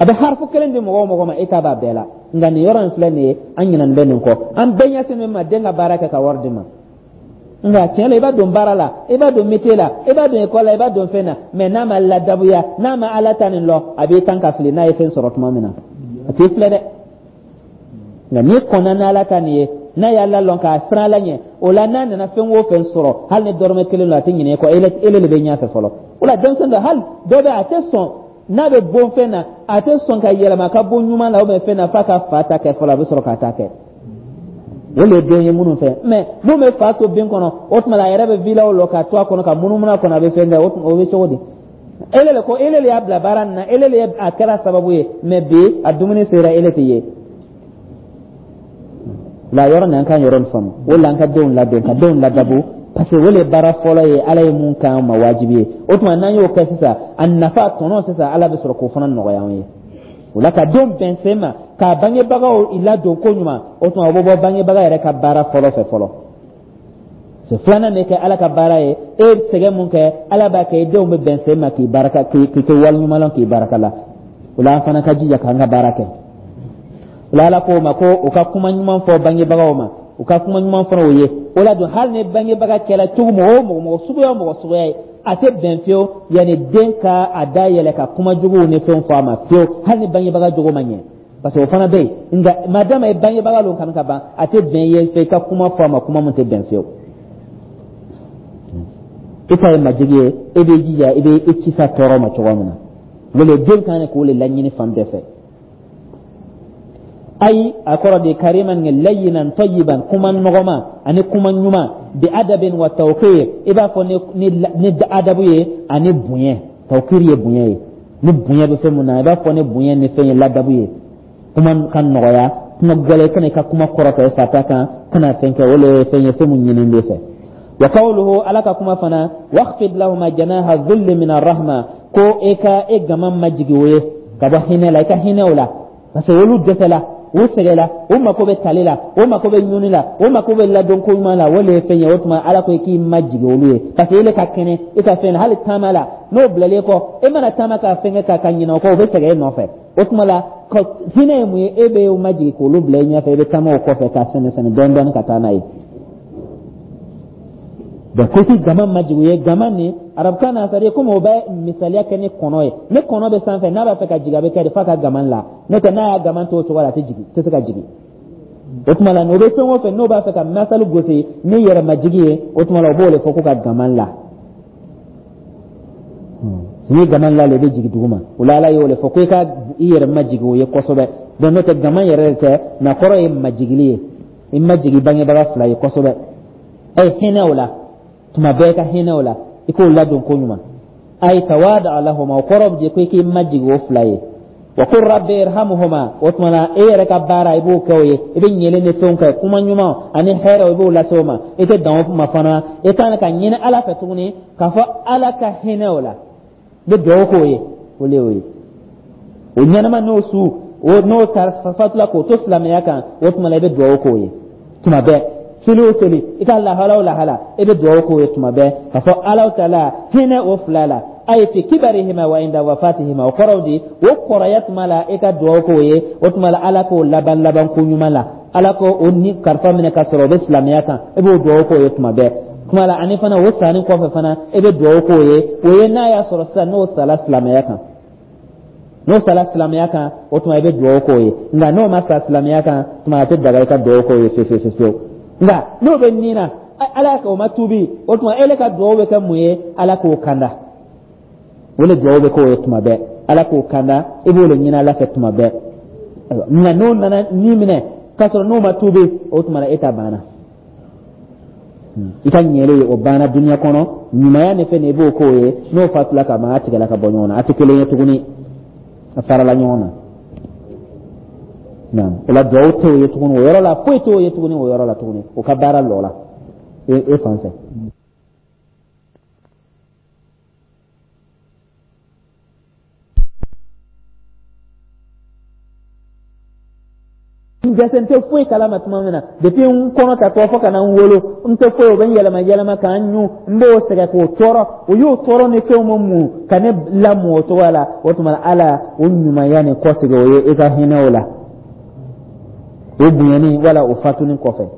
A bɛ harifu kelen di mɔgɔ o mɔgɔ ma, e ta b'a bɛɛ la. Nka nin yɔrɔ in filɛ nin ye, an ɲinɛnen bɛ nin kɔ. An bɛɛ ɲɛsin min ma, den ka baara kɛ ka wari di ma. Nka tiɲɛ la, i b'a don baara la, i b'a don métier la, i b'a don école la, i b'a don fɛn na, mais n'a ma ladabuya, n'a ma Ala ta nin lɔ, a b'i tan ka fili. N'a ye fɛn sɔrɔ tuma min na, a t'i filɛ dɛ. Nka n'i kɔnna n'Ala ta nin ye, n'a y'a lalɔn k'a siran Ala ɲɛ, o la n'a nana fɛn o fɛn sɔrɔ, hali ni dɔrɔmɛ kelen don, a tɛ ɲinɛ i kɔ. Ele de bɛ ɲɛfɛ fɔlɔ. O la denmisɛn dɔ, hali dɔ bɛ, a tɛ sɔn n'a bɛ bon fɛn na, a tɛ sɔn ka yɛlɛma ka bon ɲuman la ou bien fɛn na, f'a ka fa ta kɛ fɔlɔ, a bɛ sɔrɔ k'a ta kɛ. O le ye den ye minnu fɛ. Mais mun bɛ fa to bin kɔnɔ, o tuma la a yɛrɛ bɛ vilaw lɔ ka to a kɔnɔ, ka munumunu a kɔnɔ, a bɛ fɛn kɛ, o bɛ cogo di? Ele le ko ele le y'a bila baara nin na, ele le a kɛra sababu ye, mais bi a dumuni sera, ele tɛ ye la. Yɔrɔ nin, an ka yɔrɔ nin faamu. O la an ka denw ladon, ka denw ladabu, parce que o le baara fɔlɔ ye Ala ye mun k'an ma wajibi ye. O tuma n'an y'o kɛ sisan, a nafa tɔnɔ sisan, Ala bɛ sɔrɔ k'o fana nɔgɔya an ye. O la ka denw bɛn sen ma, k'a bangebagaw ladon ko ɲuman, o tuma o bɛ bɔ bangebaga yɛrɛ ka baara fɔlɔ fɛ fɔlɔ. So filanan bɛ kɛ Ala ka baara ye. E ye sɛgɛn mun kɛ, Ala b'a kɛ i denw bɛ bɛn sen ma k'i baraka, k'i kɛ waleɲuman lɔn, k'i baraka la. O la an fana ka jija k'an ka baara kɛ. O la Ala k'o ma ko u ka kuma ɲuman fɔ bangebagaw ma, u ka kuma ɲuman fɔ o ye. O la dun, hali ni bangebaga kɛra cogo mɔgɔ o mɔgɔ, mɔgɔ suguya o mɔgɔ suguya ye, a tɛ bɛn fiyewu yanni den ka a da yɛlɛ ka kuma juguw ni fɛnw fɔ a ma fiyewu, hali ni bangebaga jogo ma ɲɛ, parce que o fana bɛ yen. Nka madama ye bangebaga lon kanu ka ban, a tɛ bɛn ye fɛ i ka kuma fɔ a ma kuma min tɛ bɛn fiyewu. I ta ye majigi ye, e b'i jija i bɛ i kisi a tɔɔrɔ ma cogo min na. O le den kan k'o le laɲini fan bɛɛ fɛ. Ayi, a kɔrɔ de kariman layyinan tayyiban, kuma nɔgɔma ani kuma ɲuman, bi adabin wa tawqir, i b'a fɔ ni adabu ye ani bonya. Tawqir ye bonya ye, ni bonya bɛ fɛn mun na, i b'a fɔ ni bonya ni fɛn ye, ladabu ye. Kuma ka nɔgɔya, kuma gɛlɛn kana i ka kuma kɔrɔta i fa ta kan, kana fɛn kɛ. O le ye fɛn ye, fɛn mun ɲini bɛ fɛ. Wa qawluhu, Ala ka kuma fana, wakhfid lahuma janaha dhulli min arrahma, ko e ka e gama majigi o ye ka bɔ hinɛ la, i ka hinɛ o la, parce que olu dɛsɛla, u sɛgɛla, u mako bɛ tali la, u mako bɛ ɲuni la, u mako bɛ ladon ko ɲuman la. O le ye fɛn ye. O tuma Ala ko i k'i majigi olu ye, parce que ele ka kɛnɛ i ka fɛn na, hali taama la n'o bilalen kɔ, e mana taama ka fɛn kɛ ka ɲinɛ o kɔ, o bɛ sɛgɛn e nɔfɛ. O tuma la hinɛ ye mun ye? E bɛ majigi k'olu bila i ɲɛfɛ, i bɛ taama o kɔfɛ ka sɛmɛ sɛmɛ dɔɔni dɔɔni ka taa n'a ye. Donc ko k'i gama majigi ye, gama nin arabukan na, c'est à dire komi o bɛ misaliya kɛ ni kɔnɔ ye. Ni kɔnɔ bɛ sanfɛ, n'a b'a fɛ ka jigin, a bɛ kɛ de f'a ka gama la. N'o tɛ, n'a y'a gama to o cogo la, a tɛ jigin, tɛ se ka jigin. O tuma la, o bɛ fɛn o fɛn n'o b'a fɛ ka masali gosi ni yɛrɛmajigi ye, o tuma la o b'o de fɔ ko ka gama la. N'i gaman lale, i bɛ jigin duguma. O la, Ala y'o le fɔ ko i ka i yɛrɛ majigin o ye kosɛbɛ. Donc n'o tɛ, gaman yɛrɛ de tɛ nka kɔrɔ ye majigili ye. I majigi bangebaga fila ye kosɛbɛ. Ɛ hinɛ o la tuma bɛɛ, ka hinɛ o la, i k'o ladon ko ɲuman. Ay tawada lahuma, o kɔrɔ bɛ ko i k'i majigin o fila ye. Wa qul rabbi irhamhuma. O tuma na, e yɛrɛ ka baara, i b'o kɛ o ye, i bɛ ɲɛlen ni fɛnw kɛ, kuma ɲuman ani hɛrɛ, i b'o lase o ma. I tɛ dan o ma fana, i kan ka ɲini Ala fɛ tuguni k'a fɔ Ala ka hinɛ o la. I bɛ dugawu k'o ye, o le y'o ye. O ɲɛnama n'o su o n'o fatula k'o to silamɛya kan, o tuma na, i bɛ dugawu k'o ye tuma bɛɛ. Seli o seli, i ka lahala o lahala, i bɛ dugawu k'o ye tuma bɛɛ k'a fɔ Ala taala hinɛ o fila la. Ay fi kibarihima wa inda wafatihima. O kɔrɔw di, o kɔrɔya tuma la, i ka dugawu k'o ye. O tuma la, Ala k'o laban laban ko ɲuman la, Ala ko o ni kalifa minɛ ka sɔrɔ o bɛ silamɛya kan. I b'o dugawu k'o ye tuma bɛɛ tuma la. Ani fana, o sanni kɔfɛ fana, i bɛ dugawu k'o ye. O ye n'a y'a sɔrɔ sisan n'o sala silamɛya kan, n'o sala silamɛya kan, o tuma i bɛ dugawu k'o ye. Nka n'o ma sa silamɛya kan, tuma a tɛ daga i ka dugawu k'o ye fewu fewu fewu. Nka n'o bɛ nin na, Ala k'o ma tuubi, o tuma ele ka dugawu bɛ kɛ mun ye? Ala k'o kanda. O le dugawu bɛ k'o ye tuma bɛɛ, Ala k'o kanda. I b'o le ɲini Ala fɛ tuma bɛɛ. Nka n'o nana ni minɛ k'a sɔrɔ n'o ma tuubi, o tuma na e ta banna, i ka ɲɛle ye, o banna duniya kɔnɔ. Ɲumanya ni fɛn, i b'o k'o ye. N'o fatula ka ban, a tigɛla ka bɔ ɲɔgɔn na, a tɛ kelen ye tuguni, a farala ɲɔgɔn na. Naam, o la duwawu t'o ye tuguni o yɔrɔ la, foyi t'o ye tuguni o yɔrɔ la tuguni. O ka baara lɔ la e fan fɛ. N jɛsɛ, n tɛ foyi kalama tuma min na, depuis n kɔnɔ ta tɔ fo ka na n wolo, n tɛ foyi. O bɛ n yɛlɛma yɛlɛma ka n ɲun, n b'o sɛgɛn k'o tɔɔrɔ, o y'o tɔɔrɔ ni fɛnw ma mun ka ne lamɔ o cogoya la. O tuma, Ala o ɲumanya ni kɔsegin o ye, i ka hinɛ o la, o bonyani wala o fatuni kɔfɛ.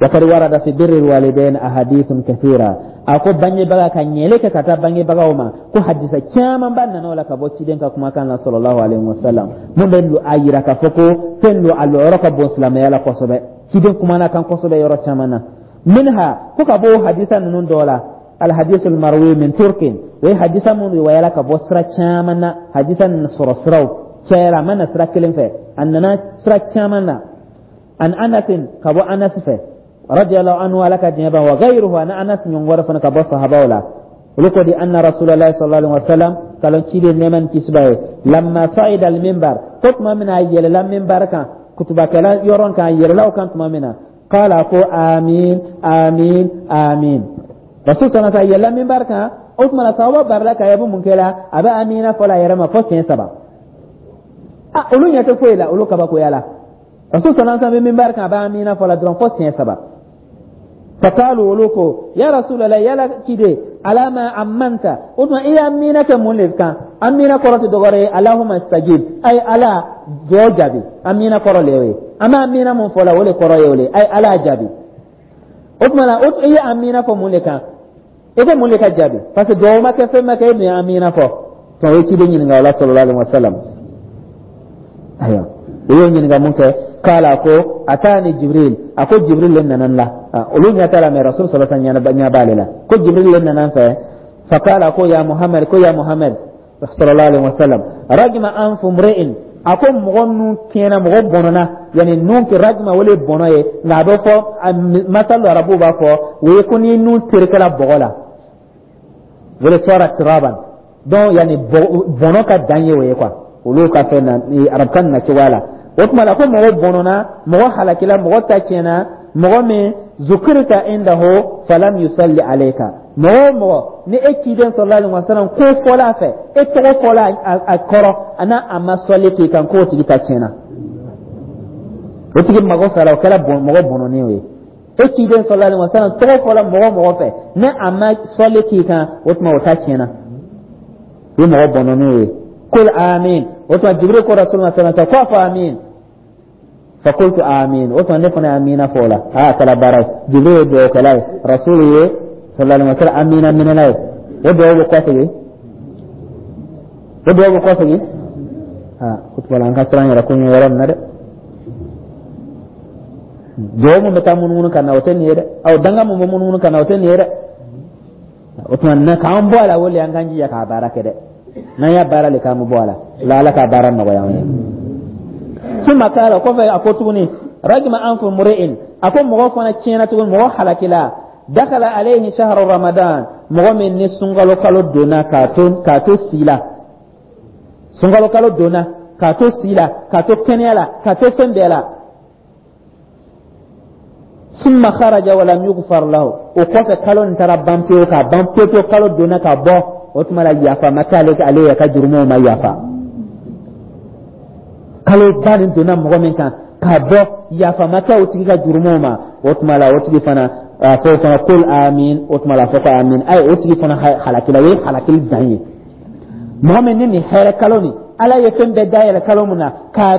Wakad warada fi birri walidain ahadithun kathira. A ko bangebaga ka ɲɛli kɛ ka taa bangebagaw ma, ko hadisa camanba nana o la ka bɔ ciden ka kumakan na, sallallahu alaihi wasallam, mun bɛ a yira k'a fɔ ko fɛn don, a lɔyɔrɔ ka bon silamɛya la kosɛbɛ. Ciden kumana kan kosɛbɛ yɔrɔ caman na. Minha, ko ka bɔ hadisa ninnu dɔ la, alhadisul marwi min turkin, o ye hadisa mun riwayala ka bɔ sira caman na. Hadisa nin sɔrɔ siraw cayara, a ma na sira kelen fɛ, a nana sira caman na. An Anasin, ka bɔ Anas fɛ, radiyallahu anhu, Ala ka diɲɛ ban, wa ghayruhu, ani Anas ɲɔgɔn wɛrɛ fana ka bɔ sahabaw la. Olu ko di, anna Rasulallah sallallahu alaihi wasallam, kalon ciden nɛɛma ni kisi b'a ye, lamma sa'ida al minbar, ko tuma min na a yɛlɛla minbar kan, kutubakɛla yɔrɔ kan, a yɛlɛla o kan tuma min na, qala, ko amin, amin, amin. Rasul sallallahu alaihi wasallam yɛlɛla minbar kan. O tuma na, sahaba barila k'a ye a bɛ mun kɛ la, a bɛ amina fɔ la a yɛrɛ ma fo siɲɛ saba. A olu ɲɛ tɛ foyi la, olu kabakoya la. Rasul sallallahu alaihi wasallam bɛ minbar kan, a bɛ amina fɔ la dɔrɔn fo siɲɛ saba. Faqalu, olu ko, ya Rasulallah, yala ciden, alama amanta? O tuma, i y'amina kɛ mun de kan? Amina kɔrɔ tɛ dɔwɛrɛ ye allahumma stajib, ay Ala duwawu jaabi. Amina kɔrɔ le y'o ye. An bɛ amina mun fɔ la, o de kɔrɔ ye o le, ay Ala jaabi. O tuma na, i ye amina fɔ mun de kan? I ko mun de ka jaabi? Parce que duwawu ma kɛ, fɛn ma kɛ, e dun ye amina fɔ. O ye ciden ɲininka o la, sallallahu alaihi wasallam. Ayiwa, o y'o ɲininka mun kɛ, kala, ko atani Jibril, a ko Jibril le nana n la. Olu ɲɛ t'a la, mais Rasul sallallahu alaihi wasallam ɲɛ b'ale la. Ko Jibril le nana n fɛ. Fakala, ko ya Muhammad, ko ya Muhammad sallallahu alaihi wasallam, ragima anfu mri'in, a ko mɔgɔ nun tiɲɛna, mɔgɔ bɔnɔna. Yani nun kɛ ragima, o le bɔnɔ ye, nka a bɛ fɔ masalu, arabuw b'a fɔ o ye ko n'i nun terekela bɔgɔ la, o le sɔra turaban. Donc yani bɔnɔ ka dan ye o ye quoi, olu ka fɛn na, arabukan na cogoya la. O tuma la, ko mɔgɔ bɔnɔna, mɔgɔ halakila, mɔgɔ ta tiɲɛna, mɔgɔ min zukirita indahu falam yusalli alayka, mɔgɔ o mɔgɔ ni e ciden sallallahu alaihi wasallam ko fɔla a fɛ, e tɔgɔ fɔla a kɔrɔ, a n'a a ma sɔli k'i kan, k'o tigi ta tiɲɛna, o tigi mago sara, o kɛra mɔgɔ bɔnɔnen ye. E ciden sallallahu alaihi wasallam tɔgɔ fɔla mɔgɔ mɔgɔ fɛ, ni a ma sɔli k'i kan, o tuma o ta tiɲɛna, o ye mɔgɔ bɔnɔnen ye. Kul amin. O tuma Jibril ko Rasul ma sallallahu alaihi wasallam ko a fɔ amin. Fakultu amin. O tuma ne fana ye amina fɔ o la. Aa, a kɛra baara ye. Jibril ye dugawukɛla ye, Rasul ye sallallahu alaihi wasallam amina minɛla ye. O dugawu bɛ kɔsegin, o dugawu bɛ kɔsegin. Aa, o tuma la, an ka siran yɛrɛ ko ɲɛ yɔrɔ nin na dɛ. Dugawu mun bɛ taa munumunu ka na, o tɛ nin ye dɛ. Aw danga mun bɛ munumunu ka na, o tɛ nin ye dɛ. O tuma na k'an bɔ a la, o le an k'an jija k'a baara kɛ dɛ. N'an y'a baara le k'an bɛ bɔ a la la, Ala k'a baara nɔgɔya an ye. Summa kala, kɔfɛ a ko tuguni: ragima anfu muri'in, a ko mɔgɔ fana tiɲɛna tuguni, mɔgɔ halakila, dakala alayhi shahru Ramadan, mɔgɔ min ni sunkalo kalo donna k'a to si la, sunkalo kalo donna k'a to si la, k'a to kɛnɛya la, k'a to fɛn bɛɛ la, summa kharaja walam yughfar lahu. O kɔfɛ kalo nin taara ban pewu, k'a ban pewu pewu. Kalo donna ka bɔ, o tuma la yafa ma k'ale, ale yɛrɛ ka jurumuw ma yafa. Kalo ba nin donna mɔgɔ min kan ka bɔ, yafa ma kɛ o tigi ka jurumuw ma, o tuma la o tigi fana a fɔ fana: kul amin. O tuma la a fɔ ko amin. Ayi, o tigi fana halakila, o ye halakili dan ye. Mɔgɔ min ni nin hɛrɛ kalo nin, Ala ye fɛn bɛɛ dayɛlɛ kalo min na ka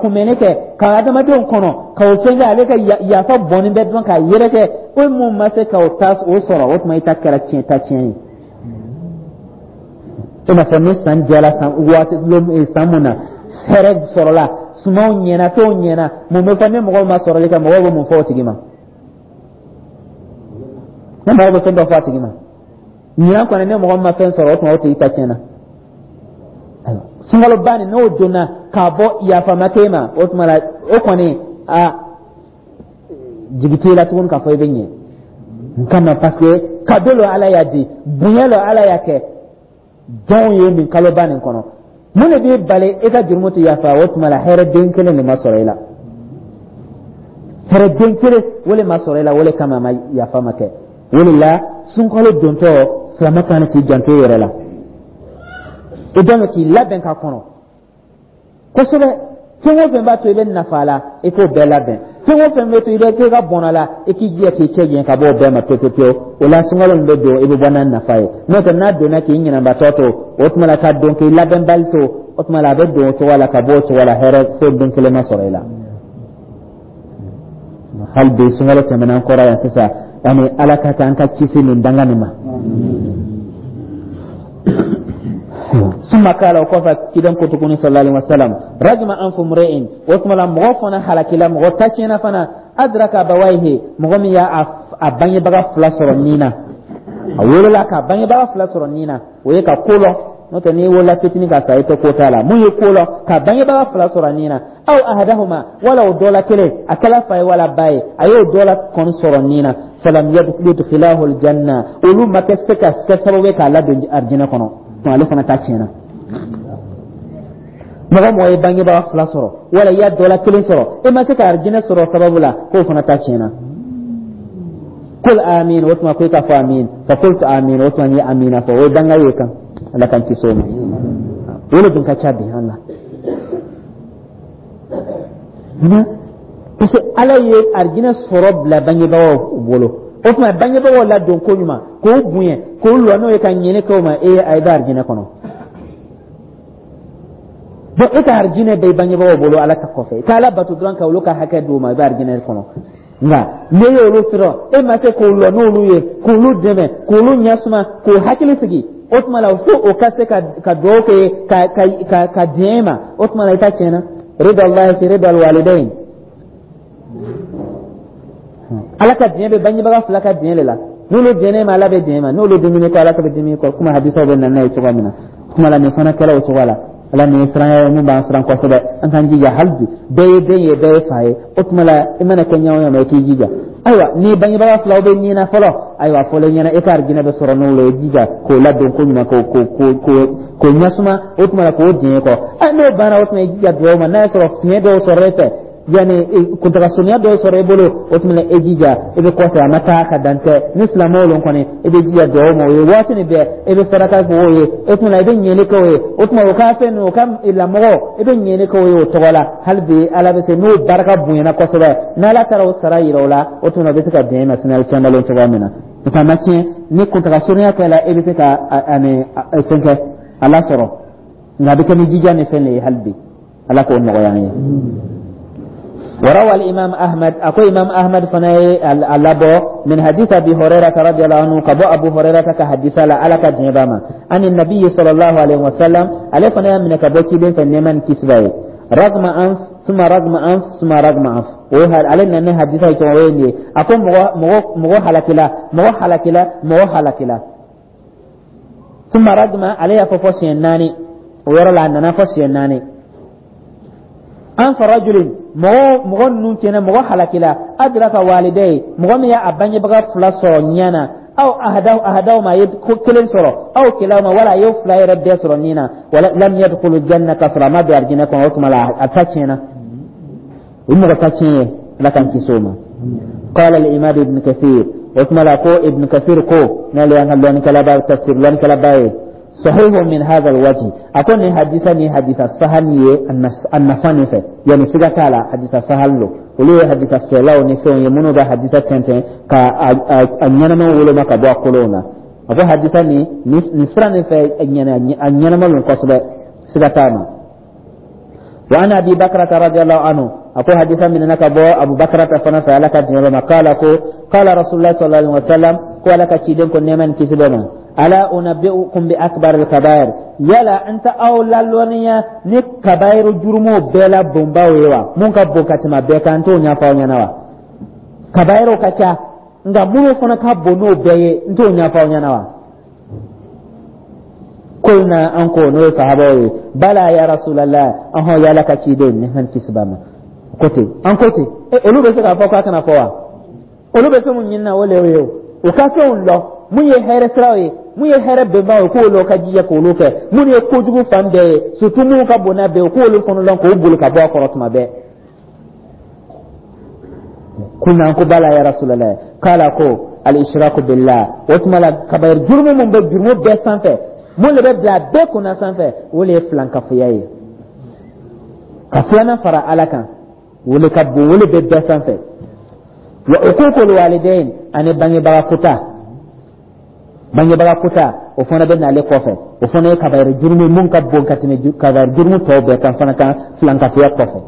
kunbɛnni kɛ ka adamadenw kɔnɔ ka o fɛn kɛ, ale ka yafa bɔnni bɛ dɔrɔn k'a yɛrɛkɛ, o mun ma se ka o ta o sɔrɔ, o tuma i ta kɛra tiɲɛ ta tiɲɛ ye. I n'a fɔ ni san jɛra, san waati san mun na hɛrɛ sɔrɔla, sumanw ɲɛna, fɛnw ɲɛna, mun bɛ fɔ? Ni mɔgɔw ma sɔrɔli kɛ, mɔgɔw bɛ mun fɔ o tigi ma? Ni mɔgɔw bɛ fɛn dɔ fɔ a tigi ma ɲinan kɔni, ni mɔgɔ ma fɛn sɔrɔ, o tuma o tigi ta tiɲɛna. Sunkaloba nin, n'o donna k'a bɔ, yafa ma k'e ma, o tuma la o kɔni a jigi t'e la tuguni k'a fɔ i bɛ ɲɛ n kama, parce que cadeau lo Ala y'a di, bonya lo Ala y'a kɛ jɔnw ye nin kaloba nin kɔnɔ. Mun de b'i bali e ka jurumu tɛ yafa? O tuma la hɛrɛ den kelen de ma sɔrɔ i la, hɛrɛ den kelen o de ma sɔrɔ i la, o de kama ma yafa ma kɛ. O de la sunkalo dontɔ, silamɛ kan k'i janto i yɛrɛ la, i dɔn k'i labɛn ka kɔnɔ kosɛbɛ. Fɛn o fɛn b'a to i bɛ nafa la, i k'o bɛɛ labɛn. Fɛn o fɛn bɛ to i bɛ k'e ka bɔnna la, i k'i jija k'i cɛ janya ka bɔ o bɛɛ ma pewu pewu. O la sunkalo min bɛ don, i bɛ bɔ n'a nafa ye. N'o tɛ, n'a donna k'i ɲinɛbatɔ to, o tuma la ka don k'i labɛnbali to, o tuma la a bɛ don o cogo la ka bɔ o cogo la, hɛrɛ foyi den kelen ma sɔrɔ i la. Hali bi sunkalo tɛmɛna an kɔrɔ yan sisan, ani Ala ka k'an ka kisi nin danga nin ma. Summa kala, o kɔfɛ kiden ko tuguni sallallahu alaihi wasallam: ragima anfu mri'in, o tuma la mɔgɔ fana halakila, mɔgɔ ta tiɲɛna fana, adraka abawaihi, mɔgɔ min y'a a bangebaga fila sɔrɔ nin na, a wolola ka bangebaga fila sɔrɔ nin na, o ye ka ko lɔ. N'o tɛ, n'i wolola fitinin ka sa, i tɛ ko t'a la. Mun ye ko lɔ ka bangebaga fila sɔrɔ nin na, aw ahadahuma, wala o dɔ la kelen, a kɛla fa ye wala ba ye, a y'o dɔ la kɔni sɔrɔ nin na, falam yudkhilahu aljanna, olu ma kɛ se ka kɛ sababu ye k'a ladon arijinɛ kɔnɔ, ale fana ta tiɲɛna. Mɔgɔ mɔgɔ ye bangebaga fila sɔrɔ wala i y'a dɔ la kelen sɔrɔ, e ma se ka arijinɛ sɔrɔ sababu la, k'o fana ta tiɲɛna. Kul amin, o tuma ko i ka fɔ amin. Fa qultu amin, o tuma n ye amina fɔ. O ye danga ye kan, Ala k'an kisi o ma. O de dun ka ca bi an na. Munna? Parce que Ala ye arijinɛ sɔrɔ bila bangebagaw bolo. O tuma bangebagaw ladon ko ɲuman, k'o bonya, k'o lɔ n'o ye ka ɲɛni kɛ o ma, e a bɛ arijinɛ kɔnɔ. Bon, e ka arijinɛ bɛ i bangebagaw bolo Ala ka kɔfɛ, i ka Ala bato dɔrɔn ka olu ka hakɛ d'u ma, i bɛ arijinɛ kɔnɔ. Nka n'e y'olu sɔrɔ, e ma se k'o lɔ n'olu ye, k'olu dɛmɛ, k'olu ɲɛsuma, k'o hakili sigi, o tuma la fo o ka se ka dugawu kɛ ka diɲɛ ma, o tuma la i ta tiɲɛna. Rida Allahi fi rida alwalidain, Ala ka diɲɛ bɛ bangebaga fila ka diɲɛ de la. N'olu diɲɛ ma, Ala bɛ diɲɛ ma. N'olu diminen kɔ, Ala ka bɛ dimi kɔ, komi hadisaw bɛ na n'a ye cogoya min na. Kuma la nin fana kɛra o cogoya la. Ala nin ye siranya ye mun b'an siran kosɛbɛ. An k'an jija hali bi, bɛɛ ye den ye, bɛɛ ye fa ye. O tuma la i mana kɛ ɲɛ o ɲɛ ma, i k'i jija. Ayiwa, ni bangebaga filaw bɛ ɲina fɔlɔ, ayiwa, fɔlɔ ɲɛna e ka arijinɛ bɛ sɔrɔ n'o ye, jija k'o ladon ko ɲuman, k'o ɲɛsuma, o tuma la k'o diɲɛ kɔ. N'o banna, o tuma i jija dugawu ma. N'a y'a sɔrɔ fiɲɛ dɔw sɔrɔ e fɛ, yani kuntaga surunya dɔw sɔrɔ i bolo, o tuma e jija i bɛ kɔfɛ, a ma taa ka dan tɛ ni silamɛw lon kɔni, i bɛ jija dugawu ma o ye waati nin bɛɛ, i bɛ saraka kɛ o ye, o tuma i bɛ ɲɛli kɛ o ye, o tuma o ka fɛn o ka lamɔgɔ, i bɛ ɲɛli kɛ o ye o tɔgɔ la. Hali bi Ala bɛ se n'o barika bonyana kosɛbɛ, n'Ala taara o sara yira o la, o tuma o bɛ se ka diɲɛ ma sini caman cogoya min na. Nka ma tiɲɛ ni kuntaga surunya kɛla, e bɛ se ka ani fɛn kɛ a lasɔrɔ, nka a bɛ kɛ ni jija ni fɛn de ye. Hali bi Ala k'o nɔgɔya an ye. وروى الإمام أحمد، أكو إمام أحمد فناي اللبو من حديث أبي هريرة رضي الله عنه، كبو أبو هريرة كحديث لا على كجنباما عن النبي صلى الله عليه وسلم، عليه فناي من كبو كيدين فنيمان كسباي: رغم أنف ثم رغم أنف ثم رغم أنف. وهل علينا أن حديث يتوين أكو مغو مغو حلكلا، مغو حلكلا، مغو حلكلا. Summa ragima, ale y'a fɔ fɔ siɲɛ naani. O yɔrɔ la, a nana fɔ siɲɛ naani. Anfa rajulin, mɔgɔ mɔgɔ ninnu tiɲɛna, mɔgɔ halakila, adraka walidayhi, mɔgɔ min y'a bangebaga fila sɔrɔ ɲɛ na, aw ahadaw ahadahuma, a ye ko kelen sɔrɔ, aw kilahuma, wala a ye fila yɛrɛ bɛɛ sɔrɔ nin na, wala lam yadkhulu janna, ka sɔrɔ a ma don arijinɛ kɔnɔ. O tuma la, a ta tiɲɛna, o mɔgɔ ta tiɲɛ ye. Ala k'an kisi o ma. Qala al-imam Ibn Kathir, o tuma la ko Ibn Kathir ko, n'ale y'an ka lɔnnikɛlaba, tafsir lɔnnikɛlaba ye, sahihu min hadha alwajh, a ko nin hadisa ni hadisa sahal ye a nafa nin fɛ, yani siga t'a la, hadisa sahal lo. Olu ye hadisa fɛlaw ni fɛnw ye minnu bɛ hadisa tɛntɛn ka a ɲɛnama woloma ka bɔ a kolonw na. A ko hadisa nin nin sira nin fɛ, a ɲɛnama lo kosɛbɛ, siga t'a ma. Wa an Abi Bakrata radiyallahu anhu, a ko hadisa minɛna ka bɔ Abu Bakrata fana fɛ, Ala ka diɲɛ b'a ma, kala ko qala Rasulullah sallallahu alaihi wasallam, ko Ala ka ciden ko, nɛɛma ni kisi bɛ ma, ala unabbi'ukum bi akbar al kabair, yala n tɛ aw lalɔnniya ni kabayiru jurumu bɛɛ la bonbaw ye wa? Mun ka bon ka tɛmɛ bɛɛ kan, n t'o ɲɛfɔ aw ɲɛna wa? Kabayiru ka ca, nka minnu fana ka bon n'o bɛɛ ye, n t'o ɲɛfɔ aw ɲɛna wa? Kulna, an ko, n'o ye sahabaw ye, bala ya Rasulallah, ɔhɔn, y'Ala ka ciden, nɛɛma ni kisi b'a ma. Ko ten, an ko ten. Olu bɛ se k'a fɔ k'a kana fɔ wa? Olu bɛ fɛn mun ɲini na, o le ye o. U ka fɛnw lɔ, mun ye hɛrɛ siraw ye, mun ye hɛrɛ bɛnbaw ye, k'olu ka jija k'olu kɛ, mun ye kojugu fan bɛɛ ye, surtout minnu ka bon n'a bɛɛ ye, k'olu fana lɔn k'o boli ka bɔ a kɔrɔ tuma bɛɛ. Kulna, ko bala ya Rasulallah. Kala ko al ishraku billah. O tuma la, kabayir jurumu mun bɛ jurumu bɛɛ sanfɛ, mun de bɛ bila bɛɛ kunna sanfɛ, o de ye filankafoya ye, ka filanan fara Ala kan. O le ka bon, o le bɛ bɛɛ sanfɛ. Wa uququl walidain, ani bangebaga kuta, bangebaga kuta, o fana bɛ n'ale kɔfɛ. O fana ye kabayir jurumu mun ka bon ka tɛmɛ kabayir jurumu tɔw bɛɛ kan fana kan, filankafoya kɔfɛ.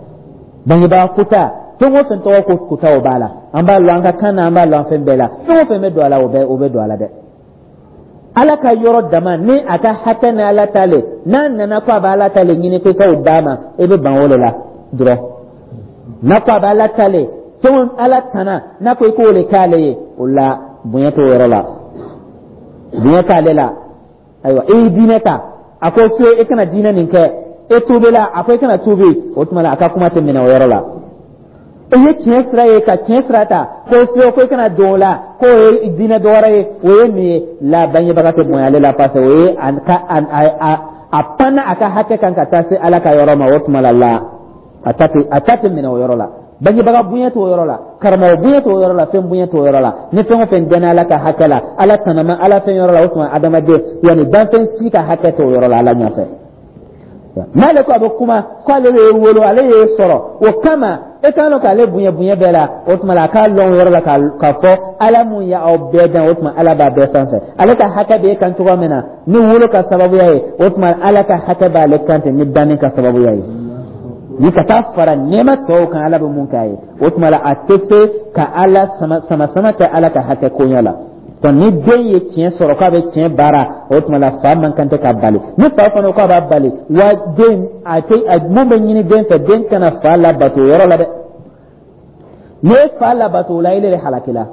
Bangebaga kuta, fɛn o fɛn tɔgɔ ko kuta, o b'a la. An b'a lɔn an ka kan na, an b'a lɔn fɛn bɛɛ la. Fɛn o fɛn bɛ don a la, o bɛ don a la dɛ. Ala ka yɔrɔ dama ni a ka hakɛ ni Ala ta le, n'a nana ko a bɛ Ala ta le ɲini ko i k'o d'a ma, e bɛ ban o de la dɔrɔn. N'a ko a bɛ Ala ta le, fɛn Ala tana, n'a ko i k'o le k'ale ye, o la bonya t'o yɔrɔ la, bonya t'ale la. Ayiwa, e ye diinɛ ta, a ko fiye, e kana diinɛ nin kɛ, e tuubila, a ko e kana tuubi, o tuma la a ka kuma tɛ minɛ o yɔrɔ la. E ye tiɲɛ sira ye ka tiɲɛ sira ta, ko fiye, ko i kana don o la, k'o ye diinɛ dɔ wɛrɛ ye, o ye nin ye la, bangebaga tɛ bonya ale la, parce que o ye a ka a panna a ka hakɛ kan ka taa se Ala ka yɔrɔ ma. O tuma la la a ta tɛ minɛ o yɔrɔ la. Bangebaga bonya t'o yɔrɔ la, karamɔgɔ bonya t'o yɔrɔ la, fɛn bonya t'o yɔrɔ la. Ni fɛn o fɛn dɛnna Ala ka hakɛ la, Ala tanama, Ala fɛn yɔrɔ la, o tuma adamaden, yanni danfɛn si ka hakɛ t'o yɔrɔ la Ala ɲɛfɛ. N'ale ko a bɛ kuma ko ale y'e wolo, ale y'e sɔrɔ, o kama e kan k'ale bonya bonya bɛɛ la, o tuma la a k'a lɔn o yɔrɔ la k'a fɔ Ala mun ye aw bɛɛ dan, o tuma Ala b'a bɛɛ sanfɛ. Ale ka hakɛ bɛ e kan cogoya min na ni wolo ka sababuya ye, o tuma Ala ka hakɛ b'ale kan ten ni danni ka sababuya ye, ni ka taa fara nɛɛma tɔw kan Ala bɛ mun k'a ye. O tuma la a tɛ se ka Ala sama sama sama kɛ Ala ka hakɛ koɲɛ la. Donc ni den ye tiɲɛ sɔrɔ k'a bɛ tiɲɛ baara, o tuma la fa man kan tɛ ka bali. Ni fa fana ko a b'a bali wa, den a tɛ mun bɛ ɲini den fɛ, den kana fa labato o yɔrɔ la dɛ. N'i ye fa labato o la, ile de halakila.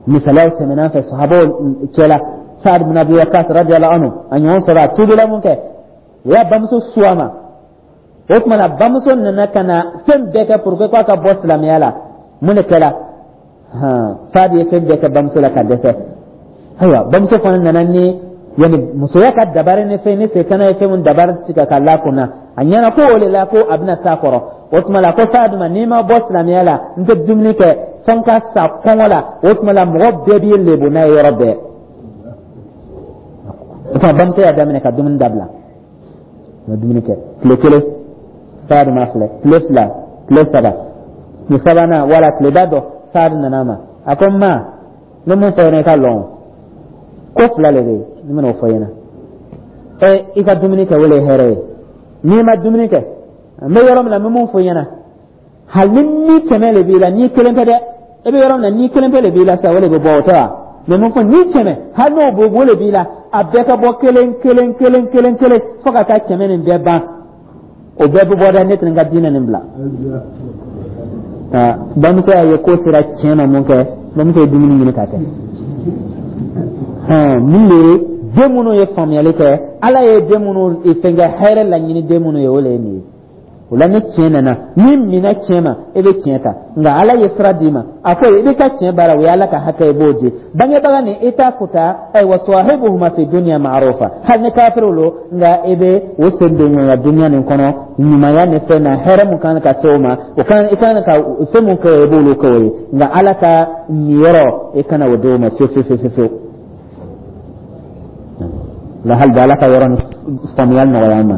Misaliyaw tɛmɛna an fɛ sahabaw cɛla. Saad bin Abi Waqqas radiyallahu anhu, a ɲɔgɔn sɔrɔ, a tubila mun kɛ, o y'a bamuso su a ma. O tuma na bamuso nana ka na fɛn bɛɛ kɛ pour que k'a ka bɔ silamɛya la. Mun de kɛra? Saad ye fɛn bɛɛ kɛ bamuso la ka dɛsɛ. Ayiwa, bamuso fana nana ni yani musoya ka dabari ni fɛn ni setana ye fɛn mun dabari tigɛ ka la kunna, a ɲɛna ko o de la ko a bɛna s'a kɔrɔ. O tuma la ko Saad ma, n'i ma bɔ silamɛya la, n tɛ dumuni kɛ fo n ka sa kɔngɔ la. O tuma la mɔgɔ bɛɛ b'i lebu n'a ye yɔrɔ bɛɛ. O tuma bamuso y'a daminɛ ka dumuni dabila, ma dumuni kɛ tile kelen. Saad ma filɛ, tile 2, tile 3, tile sabanan wala tile da dɔ, Saad nana ma, a ko n ma, ne mun fɔ ɲɛna, i ka lɔn ko fila le bɛ yen, ne bɛna o fɔ ɲɛna. Ɛ, i ka dumuni kɛ, o le ye hɛrɛ ye. N'i ma dumuni kɛ, n bɛ yɔrɔ min na, n bɛ mun fɔ ɲɛna, hali ni 100 le b'i la, n'i kelen tɛ dɛ, e bɛ yɔrɔ min na, ni kelen pe le b'i la sisan, o de bɛ bɔ, o tɛ wa? Mɛ mun fɔ, ni 100, hali n'o bɛ o le b'i la, a bɛɛ ka bɔ kelen kelen kelen kelen kelen fo ka taa 100 nin bɛɛ ban, o bɛɛ bɛ bɔ dɛ, ne tɛ n ka diinɛ nin bila. Bamuso y'a ye ko sera tiɲɛ ma mun kɛ, bamuso ye dumuni ɲini ka kɛ. Hɔn, min de ye den minnu ye faamuyali kɛ, Ala ye den minnu fɛnkɛ, hɛrɛ laɲini den minnu ye, o le ye nin ye. O la, ni tiɲɛ nana, n'i minɛ tiɲɛ ma, e bɛ tiɲɛ ta. Nka Ala ye sira d'i ma, a ko i bɛ ka tiɲɛ baara, o ye Ala ka hakɛ ye, i b'o di bangebaga ni i t'a kuta. Ayiwa, sahibuhuma fi dunya ma'rufa, hali ni kafiriw lo, nka i bɛ o sen don ɲɔgɔnya dunya nin kɔnɔ ɲumanya ni fɛn na. Hɛrɛ mun kan ka se o ma, o kan i kan ka fɛn mun kɛ, i b'olu kɛ o ye. Nka Ala ka niyɔrɔ, i kana o di o ma fiyewu fiyewu fiyewu fiyewu. La hali bi, Ala ka yɔrɔ ni faamuya nɔgɔya an ma.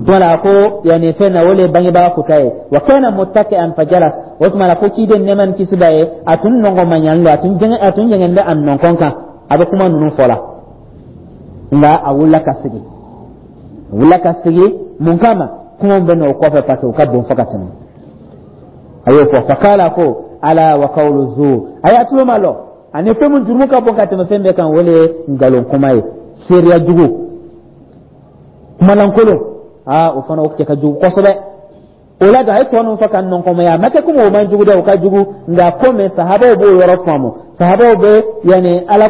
Tuma la, ko yani fɛn na, o le ye bangebaga kuta ye. Wa kana muttaki'an fajalas. O tuma la, ko ciden, nɛɛma ni kisi b'a ye, a tun nɔngɔnmayalen don, a tun jɛngɛn bɛ a nɔnkɔn kan, a bɛ kuma ninnu fɔ la. Nka a wulila ka sigi, a wulila ka sigi. Mun kama? Kuma bɛ n'o kɔfɛ, parce que o ka bon fo ka tɛmɛ. A y'o fɔ, fakala, ko ala wa qawlu zur. A y'a tulo ma lɔ ani fɛn mun jurumu ka bon ka tɛmɛ fɛn bɛɛ kan, o le ye nkalon kuma ye, seereya jugu, kumalankolon. Aa, o fana o cɛ ka jugu kosɛbɛ. O la don, a ye tɔ ninnu fɔ ka nɔnkɔnmaya. A ma kɛ komi o man jugu dɛ, o ka jugu. Nka komi sahabaw b'o yɔrɔ faamu, sahabaw bɛ yanni Ala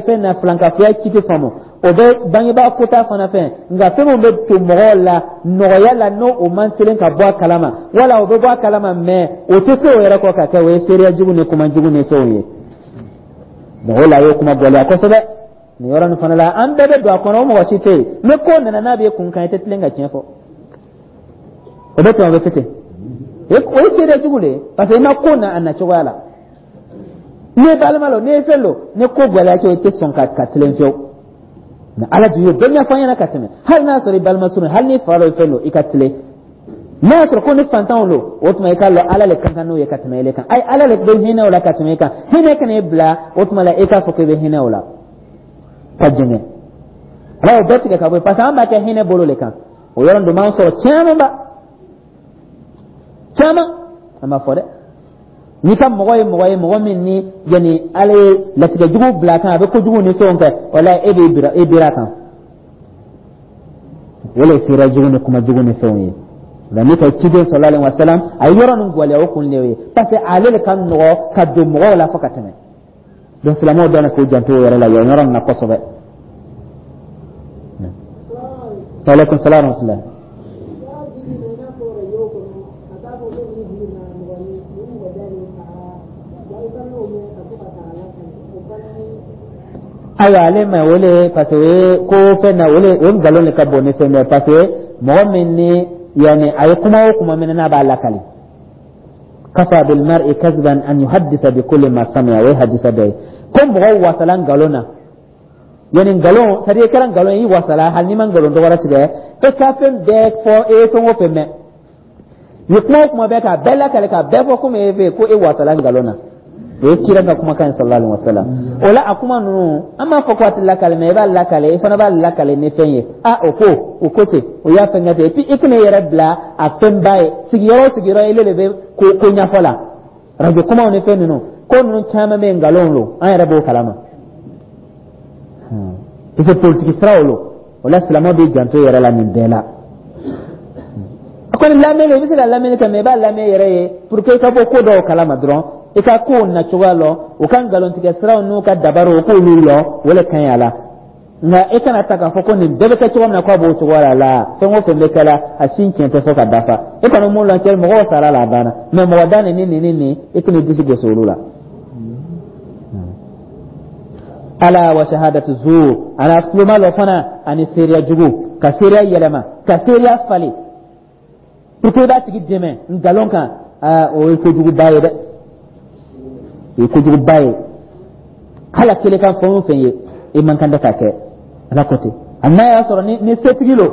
fɛn na filankafoya kiti faamu, o bɛ bangebaa kota fana fɛn. Nka fɛn min bɛ to mɔgɔw la nɔgɔya la, n'o o man teli ka bɔ a kalama, wala o bɛ bɔ a kalama, mɛ o tɛ se o yɛrɛ kɔ ka kɛ, o ye seereya jugu ni kuma jugu ni fɛnw ye. Donc o la, a y'o kuma gɛlɛya kosɛbɛ nin yɔrɔ nin fana la. An bɛɛ bɛ don a kɔnɔ, o mɔgɔ si tɛ yen. Ni ko nana n'a bɛ kun kan, i tɛ tilen ka tiɲɛ fɔ, o bɛ tɛmɛ, o bɛ kɛ ten. O ye seereya jugu de ye, parce que i ma ko na a na cogoya la. N'i ye balima lo, n'i ye fɛn lo, ni ko gɛlɛya kɛ, i tɛ sɔn ka tilen fiyewu. Nka Ala dun y'o bɛɛ ɲɛfɔ an ɲɛna ka tɛmɛ. Hali n'a sɔrɔ i balima surun, hali ni fa dɔ ye fɛn lo, i ka tilen. N'a y'a sɔrɔ ko ni fantanw lo, o tuma i k'a lɔn Ala le ka kan n'o ye ka tɛmɛ ele kan. Ayi, Ala le bɛ hinɛ o la ka tɛmɛ e kan. Hinɛ kana e bila o tuma la e k'a fɔ k'e bɛ hinɛ o la ka jɛngɛ. Ala y'o bɛɛ tigɛ ka bɔ yen, parce que an b'a kɛ hinɛ bolo le kan. O yɔrɔ dun b'an sɔrɔ caman ba caman, an b'a fɔ dɛ. N'i ka mɔgɔ ye mɔgɔ ye, mɔgɔ min ni yanni Ala ye latigɛ jugu bila a kan, a bɛ kojugu ni fɛnw kɛ, wala e b'i bira, e bira a kan. O le ye seereya jugu ni kuma jugu ni fɛnw ye. Nka n'i ka ciden sallallahu alaihi wa sallam, a ye yɔrɔ nin gwɛlɛya, o kun de ye, parce que ale de ka nɔgɔ ka don mɔgɔw la fo ka tɛmɛ. Donc silamɛw dɔn k'u janto o yɔrɔ la, yan yɔrɔ nin na kosɛbɛ. Aleykum salaam wa rahmatulah. N'a fɔ radio kɔnɔ, a t'a fɔ ko nin bi na mɔgɔ ni nin mɔgɔ da de fagara wa, i fana y'o mɛn ka to ka taa lakale, o fana ye. Ayiwa, ale ma o le, parce que o ye ko fɛn na, o le o nkalon de ka bon ni fɛn bɛɛ, parce que mɔgɔ min ni yanni a ye kuma o kuma minɛ n'a b'a lakali. Kafa bil mar'i kazban an yuhaddisa bi kulli ma sami'a. O ye hadisa dɔ ye ko mɔgɔ wasala nkalon na, yanni nkalon, c'est à dire i kɛra nkalon ye, i wasala. Hali n'i ma nkalon dɔ wɛrɛ tigɛ, e ka fɛn bɛɛ fɔ, e ye fɛn o fɛn mɛn, i ye kuma o kuma bɛɛ k'a bɛɛ lakale, k'a bɛɛ fɔ komi e fɛ ko e wasala nkalon na. O ye kira ka kumakan ye sallallahu alaihi wasallam. O la, a kuma ninnu, an b'a fɔ ko a tɛ lakale, mɛ i b'a lakale, i fana b'a lakale ni fɛn ye. A o ko o ko ten, o y'a fɛn kɛ ten. Et puis i kana i yɛrɛ bila a fɛnba ye sigiyɔrɔ o sigiyɔrɔ, ile de bɛ ko ko ɲɛfɔ la. Radio kumaw ni fɛn ninnu, ko ninnu caman bɛ yen, nkalon don, an yɛrɛ b'o kalama, parce que politiki siraw lo. O la, silamɛw b'i janto i yɛrɛ la nin bɛɛ la. A kɔni lamɛnni, i bɛ se ka lamɛnni kɛ, mɛ i b'a lamɛn yɛrɛ ye pour que i ka bɔ ko dɔw kalama dɔrɔn, i ka kow na cogoya lɔn, u ka nkalontigɛ siraw n'u ka dabariw, u k'olu lɔn, o le ka ɲi a la. Nka e kana ta k'a fɔ ko nin bɛɛ bɛ kɛ cogo min na, k'a b'o cogoya la la. Fɛn o fɛn bɛ kɛ la, a sin tiɲɛ tɛ fɔ ka dafa. E kɔni mun lɔn cɛ, mɔgɔw sara la, a banna. Mɛ mɔgɔ da nin ni nin ni nin, i tɛna i disi gosi olu la. Ala wa shahadatu zur, ala tuloma lɔ fana ani seereya jugu, ka seereya yɛlɛma, ka seereya falen pour que i b'a tigi dɛmɛ nkalon kan. Aa, o ye kojuguba ye dɛ, o ye kojuguba ye. Hali a kelen kan, fɛn o fɛn ye, i man kan tɛ k'a kɛ. Ala ko ten, hali n'a y'a sɔrɔ ni setigi lo,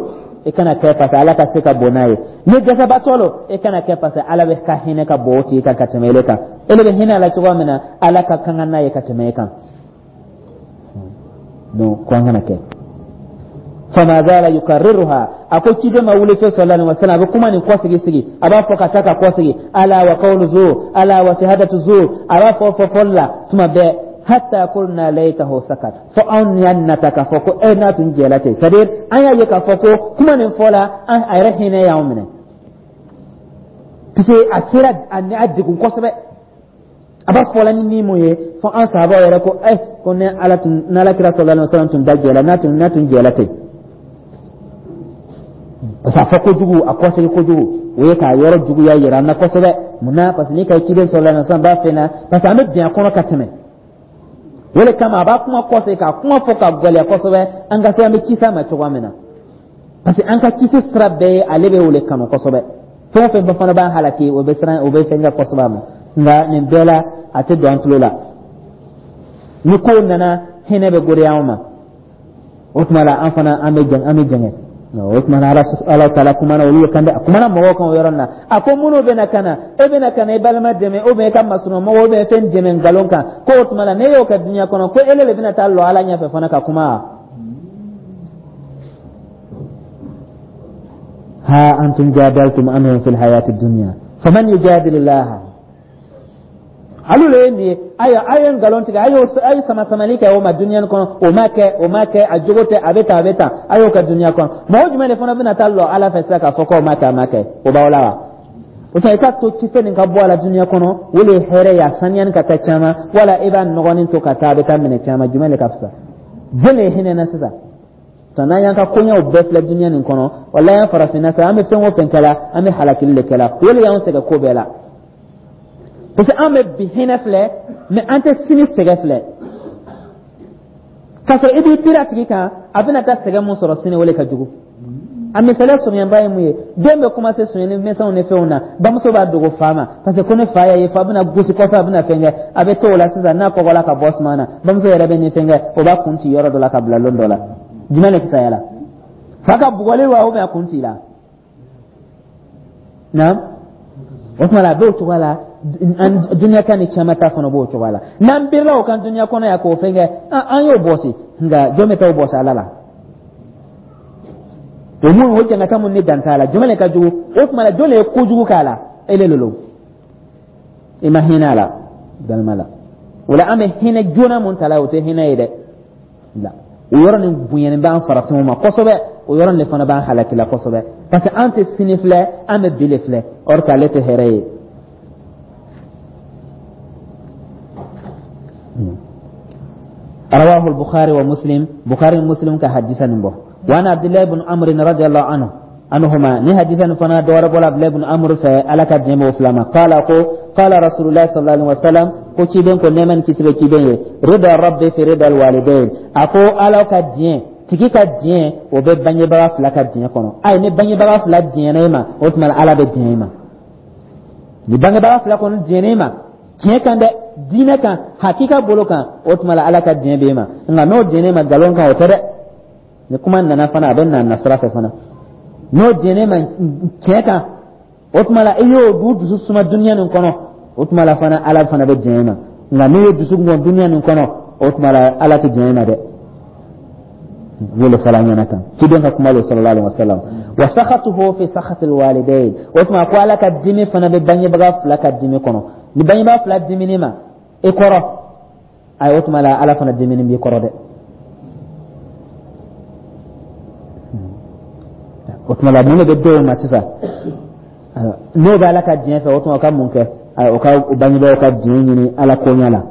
i kana kɛ, parce que Ala ka se ka bon n'a ye. Ni dɛsɛbaatɔ lo, i kana kɛ, parce que Ala bɛ ka hinɛ ka bon o tigi kan ka tɛmɛ ele kan. Ele bɛ hinɛ a la cogoya min na, Ala ka kan n'a ye ka tɛmɛ e kan. Donc ko an kana kɛ. Fama zala yukarriruha, a ko ciden ma wuli fe sallallahu alaihi wasallam, a bɛ kuma nin kɔsigi sigi, a b'a fɔ ka taa ka kɔsigi: ala wa qawlu zur, ala wa shahadatu zur. A b'a fɔ fɔ fɔli la tuma bɛɛ, hatta qulna laytahu sakat, fo anw y'a nata k'a fɔ ko e n'a tun jɛla ten. C'est à dire an y'a ye k'a fɔ ko kuma nin fɔla, an a yɛrɛ hinɛ y'anw minɛ, puisque a sera a degun kosɛbɛ. A b'a fɔla ni ni mun ye fo an sahabaw yɛrɛ ko ko ni Ala tun n'Ala kira sallallahu alaihi wasallam tun da jɛla, n'a tun jɛla ten, parce que a fɔ kojugu, a kɔsegi kojugu, o ye k'a yɔrɔ juguya yira an na kosɛbɛ. Mun na? Parce que n'i ka ciden sallallahu alaihi wasallam b'a fɛ na, parce que an bɛ bin a kɔnɔ ka tɛmɛ. O de kama a b'a kuma kɔsegi, k'a kuma fɔ ka gɛlɛya kosɛbɛ, an ka se an bɛ kisi a ma cogoya min na, parce que an ka kisi sira bɛɛ ye ale bɛ o de kanu kosɛbɛ. Fɛn o fɛn fana b'an halaki, o bɛ siran, o bɛ fɛn kɛ kosɛbɛ a ma. Nka nin bɛɛ la, a tɛ don an tulo la. Ni kow nana, hinɛ bɛ goriya anw ma. O tuma la, an fana an bɛ jɛngɛ, an bɛ jɛngɛ. O tuma na, Ala taala kumana olu kan dɛ, a kumana mɔgɔw kan o yɔrɔ na. A ko minnu bɛna ka na, e bɛna ka na i balima dɛmɛ, ou bien i ka masurunmɔgɔw, ou bien fɛn dɛmɛ nkalon kan, ko o tuma la, n'e y'o kɛ dunuya kɔnɔ, ko ele de bɛna taa lɔ Ala ɲɛfɛ fana ka kuma. Ha antum jadaltum anhum fil hayati dunya faman yujadilu Allah. Alu le ye nin ye. Ayiwa, a ye nkalon tigɛ, a ye sama samali kɛ o ma dunuya kɔnɔ. O ma kɛ, o ma kɛ, a jogo tɛ, a bɛ tan, a bɛ tan, a y'o kɛ dunuya kɔnɔ. Mɔgɔ jumɛn de fana bɛna taa lɔ Ala fɛ sisan k'a fɔ k'o ma kɛ, a ma kɛ? O b'aw la wa? O tuma, i ka to kisɛ nin ka bɔ a la dunuya kɔnɔ, o de ye hɛrɛ ye, a saniyani ka taa caman, wala i b'a nɔgɔnin to ka taa, a bɛ taa minɛ caman. Jumɛn de ka fisa? Jɔn de ye hinɛ na sisan? Tɔ n'an y'an ka koɲɛw bɛɛ filɛ dunuya nin kɔnɔ, walayi, an farafinna sa, an bɛ fɛn o fɛn kɛ la, an bɛ halakili de kɛ la. O de y'anw sɛgɛn ko bɛɛ la, parce que an bɛ bi hinɛ filɛ, mais an tɛ sini sɛgɛn filɛ. K'a sɔrɔ i b'i biri a tigi kan, a bɛna taa sɛgɛn mun sɔrɔ sini, o de ka jugu. A misaliya surunyaba ye mun ye? Den bɛ commencer sonyɛni misɛnw ni fɛnw na, bamuso b'a dogo fa ma, parce que ko ne fa y'a ye, fa bɛna gosi kɔsɔ, a bɛna fɛn kɛ. A bɛ to o la sisan, n'a kɔgɔla ka bɔ suma na, bamuso yɛrɛ bɛ ni fɛn kɛ, o b'a kun ci yɔrɔ dɔ la ka bila lon dɔ la. Jumɛn de fisaya la? Fa ka bugɔli wa, ou bien a kun ci la? Naam. O tuma la, a b'o cogoya la. Dunuya kan ni caman ta fana b'o cogoya la. N'an birila o kan dunuya kɔnɔ yan k'o fɛn kɛ, an y'o bɔsi, nka jɔn bɛ taa o bɔsi Ala la? O mun, o jangata mun ni dan t'a la, jumɛn de ka jugu? O tuma la, jɔn de ye kojugu k'a la? E le lolo, i ma hinɛ a la balima la. O la, an bɛ hinɛ joona mun ta la, o tɛ hinɛ ye dɛ. La o yɔrɔ nin bonyani b'an farafinw ma kosɛbɛ, o yɔrɔ nin de fana b'an halaki la kosɛbɛ, parce que an tɛ sini filɛ, an bɛ bi de filɛ, or que ale tɛ hɛrɛ ye. رواه البخاري ومسلم. بخاري ومسلم كحديثا نبو. وعن عبد الله بن عمرو رضي الله عنه عنهما، ني حديثا فنا دور بولا عبد الله بن عمرو في على كجمع فلاما، قال كو قال رسول الله صلى الله عليه وسلم، ko ciden ko nɛɛma ni kisi bɛ ciden ye: rida rabbi fi rida alwalidain. A ko Ala ka diɲɛ tigi ka diɲɛ, o bɛ bangebaga fila ka diɲɛ kɔnɔ. Ayi, ni bangebaga fila diɲɛna e ma, o tuma Ala bɛ diɲɛ e ma. Ni bangebaga fila kɔni diɲɛna e ma tiɲɛ kan dɛ, diinɛ kan, hakika bolo kan, o tuma la Ala ka diɲɛ b'e ma. Nka n'o diɲɛ e ma nkalon kan, o tɛ dɛ. Ni kuma nana fana, a bɛ na nasira fɛ fana. N'o diɲɛ ma tiɲɛ kan, o tuma la i y'o du dusu suma dunuya nin kɔnɔ, o tuma la fana Ala fana bɛ diɲɛ ma. Nka n'i ye dusu bɔn dunuya nin kɔnɔ, o tuma la Ala tɛ diɲɛ ma dɛ. N y'o fɔla ɲɛna tan, ciden ka kuma lo, sallallahu alaihi wasallam. Wa sakhatuhu fi sakhati alwalidain. O tuma ko Ala ka dimi fana bɛ bangebaga fila ka dimi kɔnɔ. Ni bangebaga fila dimini ma i kɔrɔ, ayi, o tuma la Ala fana dimini b'i kɔrɔ dɛ. O tuma la, mun de bɛ denw ma sisan? N'o bɛ Ala ka diɲɛ fɛ, o tuma o ka mun kɛ? O ka bangebagaw ka diɲɛ ɲini Ala koɲɛ la.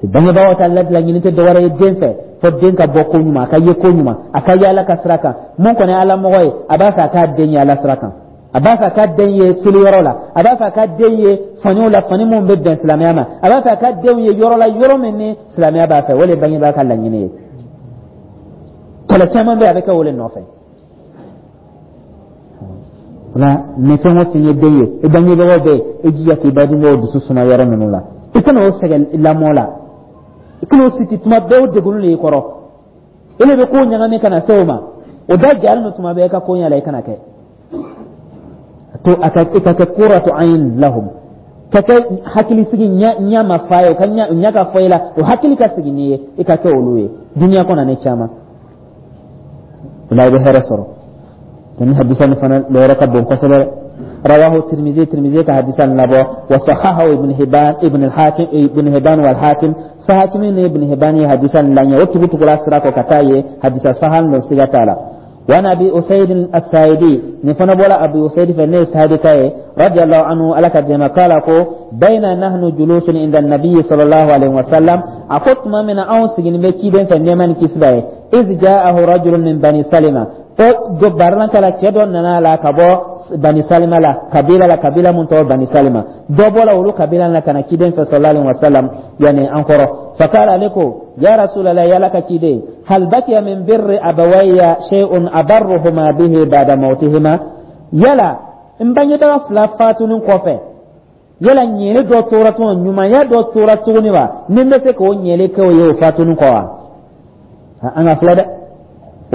Bangebagaw ta laɲini tɛ dɔwɛrɛ ye den fɛ fo den ka bɔ ko ɲuman, a ka ye ko ɲuman, a ka ye Ala ka sira kan. Mun kɔni ye Ala mɔgɔ ye, a b'a fɛ a k'a den ye Ala sira kan, a b'a fɛ a ka den ye seliyɔrɔ la, a b'a fɛ a ka den ye faniw la, fani minnu bɛ bɛn silamɛya ma, a b'a fɛ a ka denw ye yɔrɔ la, yɔrɔ min ni silamɛya b'a fɛ. O de ye bangebaa ka laɲini ye. Kɛlɛ caman bɛ yen, a bɛ kɛ o de nɔfɛ. O la, ni fɛn o fɛn ye den ye, i bangebagaw bɛ yen, i jija k'i bangebagaw dusu suma yɔrɔ ninnu la. I kana o sɛgɛn lamɔ la, i kana o siti tuma bɛɛ, o degunni de y'i kɔrɔ. E de bɛ ko ɲagami ka na se o ma, o da jalen don tuma bɛɛ i ka ko ɲɛ la. I kana kɛ to a ka i ka kɛ qurratu ayn lahum, ka kɛ hakilisigi ɲɛ ma fa ye, o ka ɲɛ ka fɔ i la, o hakili ka sigi n'i ye, i ka kɛ olu ye dunuya kɔnɔ ni caman. O la, i bɛ hɛrɛ sɔrɔ. Ni hadisa nin fana lɔyɔrɔ ka bon kosɛbɛ. Rawahu Tirmizi. Tirmizi ka hadisa nin labɔ. Wa sahahahu Ibn Hibban, Ibn al-Hakim, Ibn Hibban wal Hakim. Sahakimi ni Ibn Hibban ye hadisa nin laɲɛ o tugu tugula sira kɔ ka taa ye hadisa sahan don, siga t'a la. Wa Abi Usaid as-Saidi, ni fana bɔra Abi Usaid fɛ, ne ye sahabi ka ye, radiyallahu anhu, Ala ka jɛma k'ala, ko bayna nahnu julusun inda an-nabiy sallallahu alaihi wasallam, a ko tuma min na anw sigilen bɛ ciden fɛ, nɛɛma ni kisi b'a ye, iz ja'ahu rajulun min Bani Salima, ko dɔ barilan kala, cɛ dɔ nana la ka bɔ Bani Salima la, kabila la, kabila mun tɔgɔ Bani Salima. Dɔ bɔra olu kabila la ka na ciden fɛ sallallahu alaihi wasallam, yani an kɔrɔ. Fakala, ale ko: ya Rasulallah, yala ka ciden, hal bakiya min birri abawayya shay'un abarruhuma bihi ba'da mawtihima? Yala n bangebaga fila fatunin kɔfɛ, yala ɲɛli dɔ tora tuguni, ɲumanya dɔ tora tuguni wa, ni n bɛ se k'o ɲɛli kɛ o ye o fatunin kɔ wa? An ka filɛ dɛ,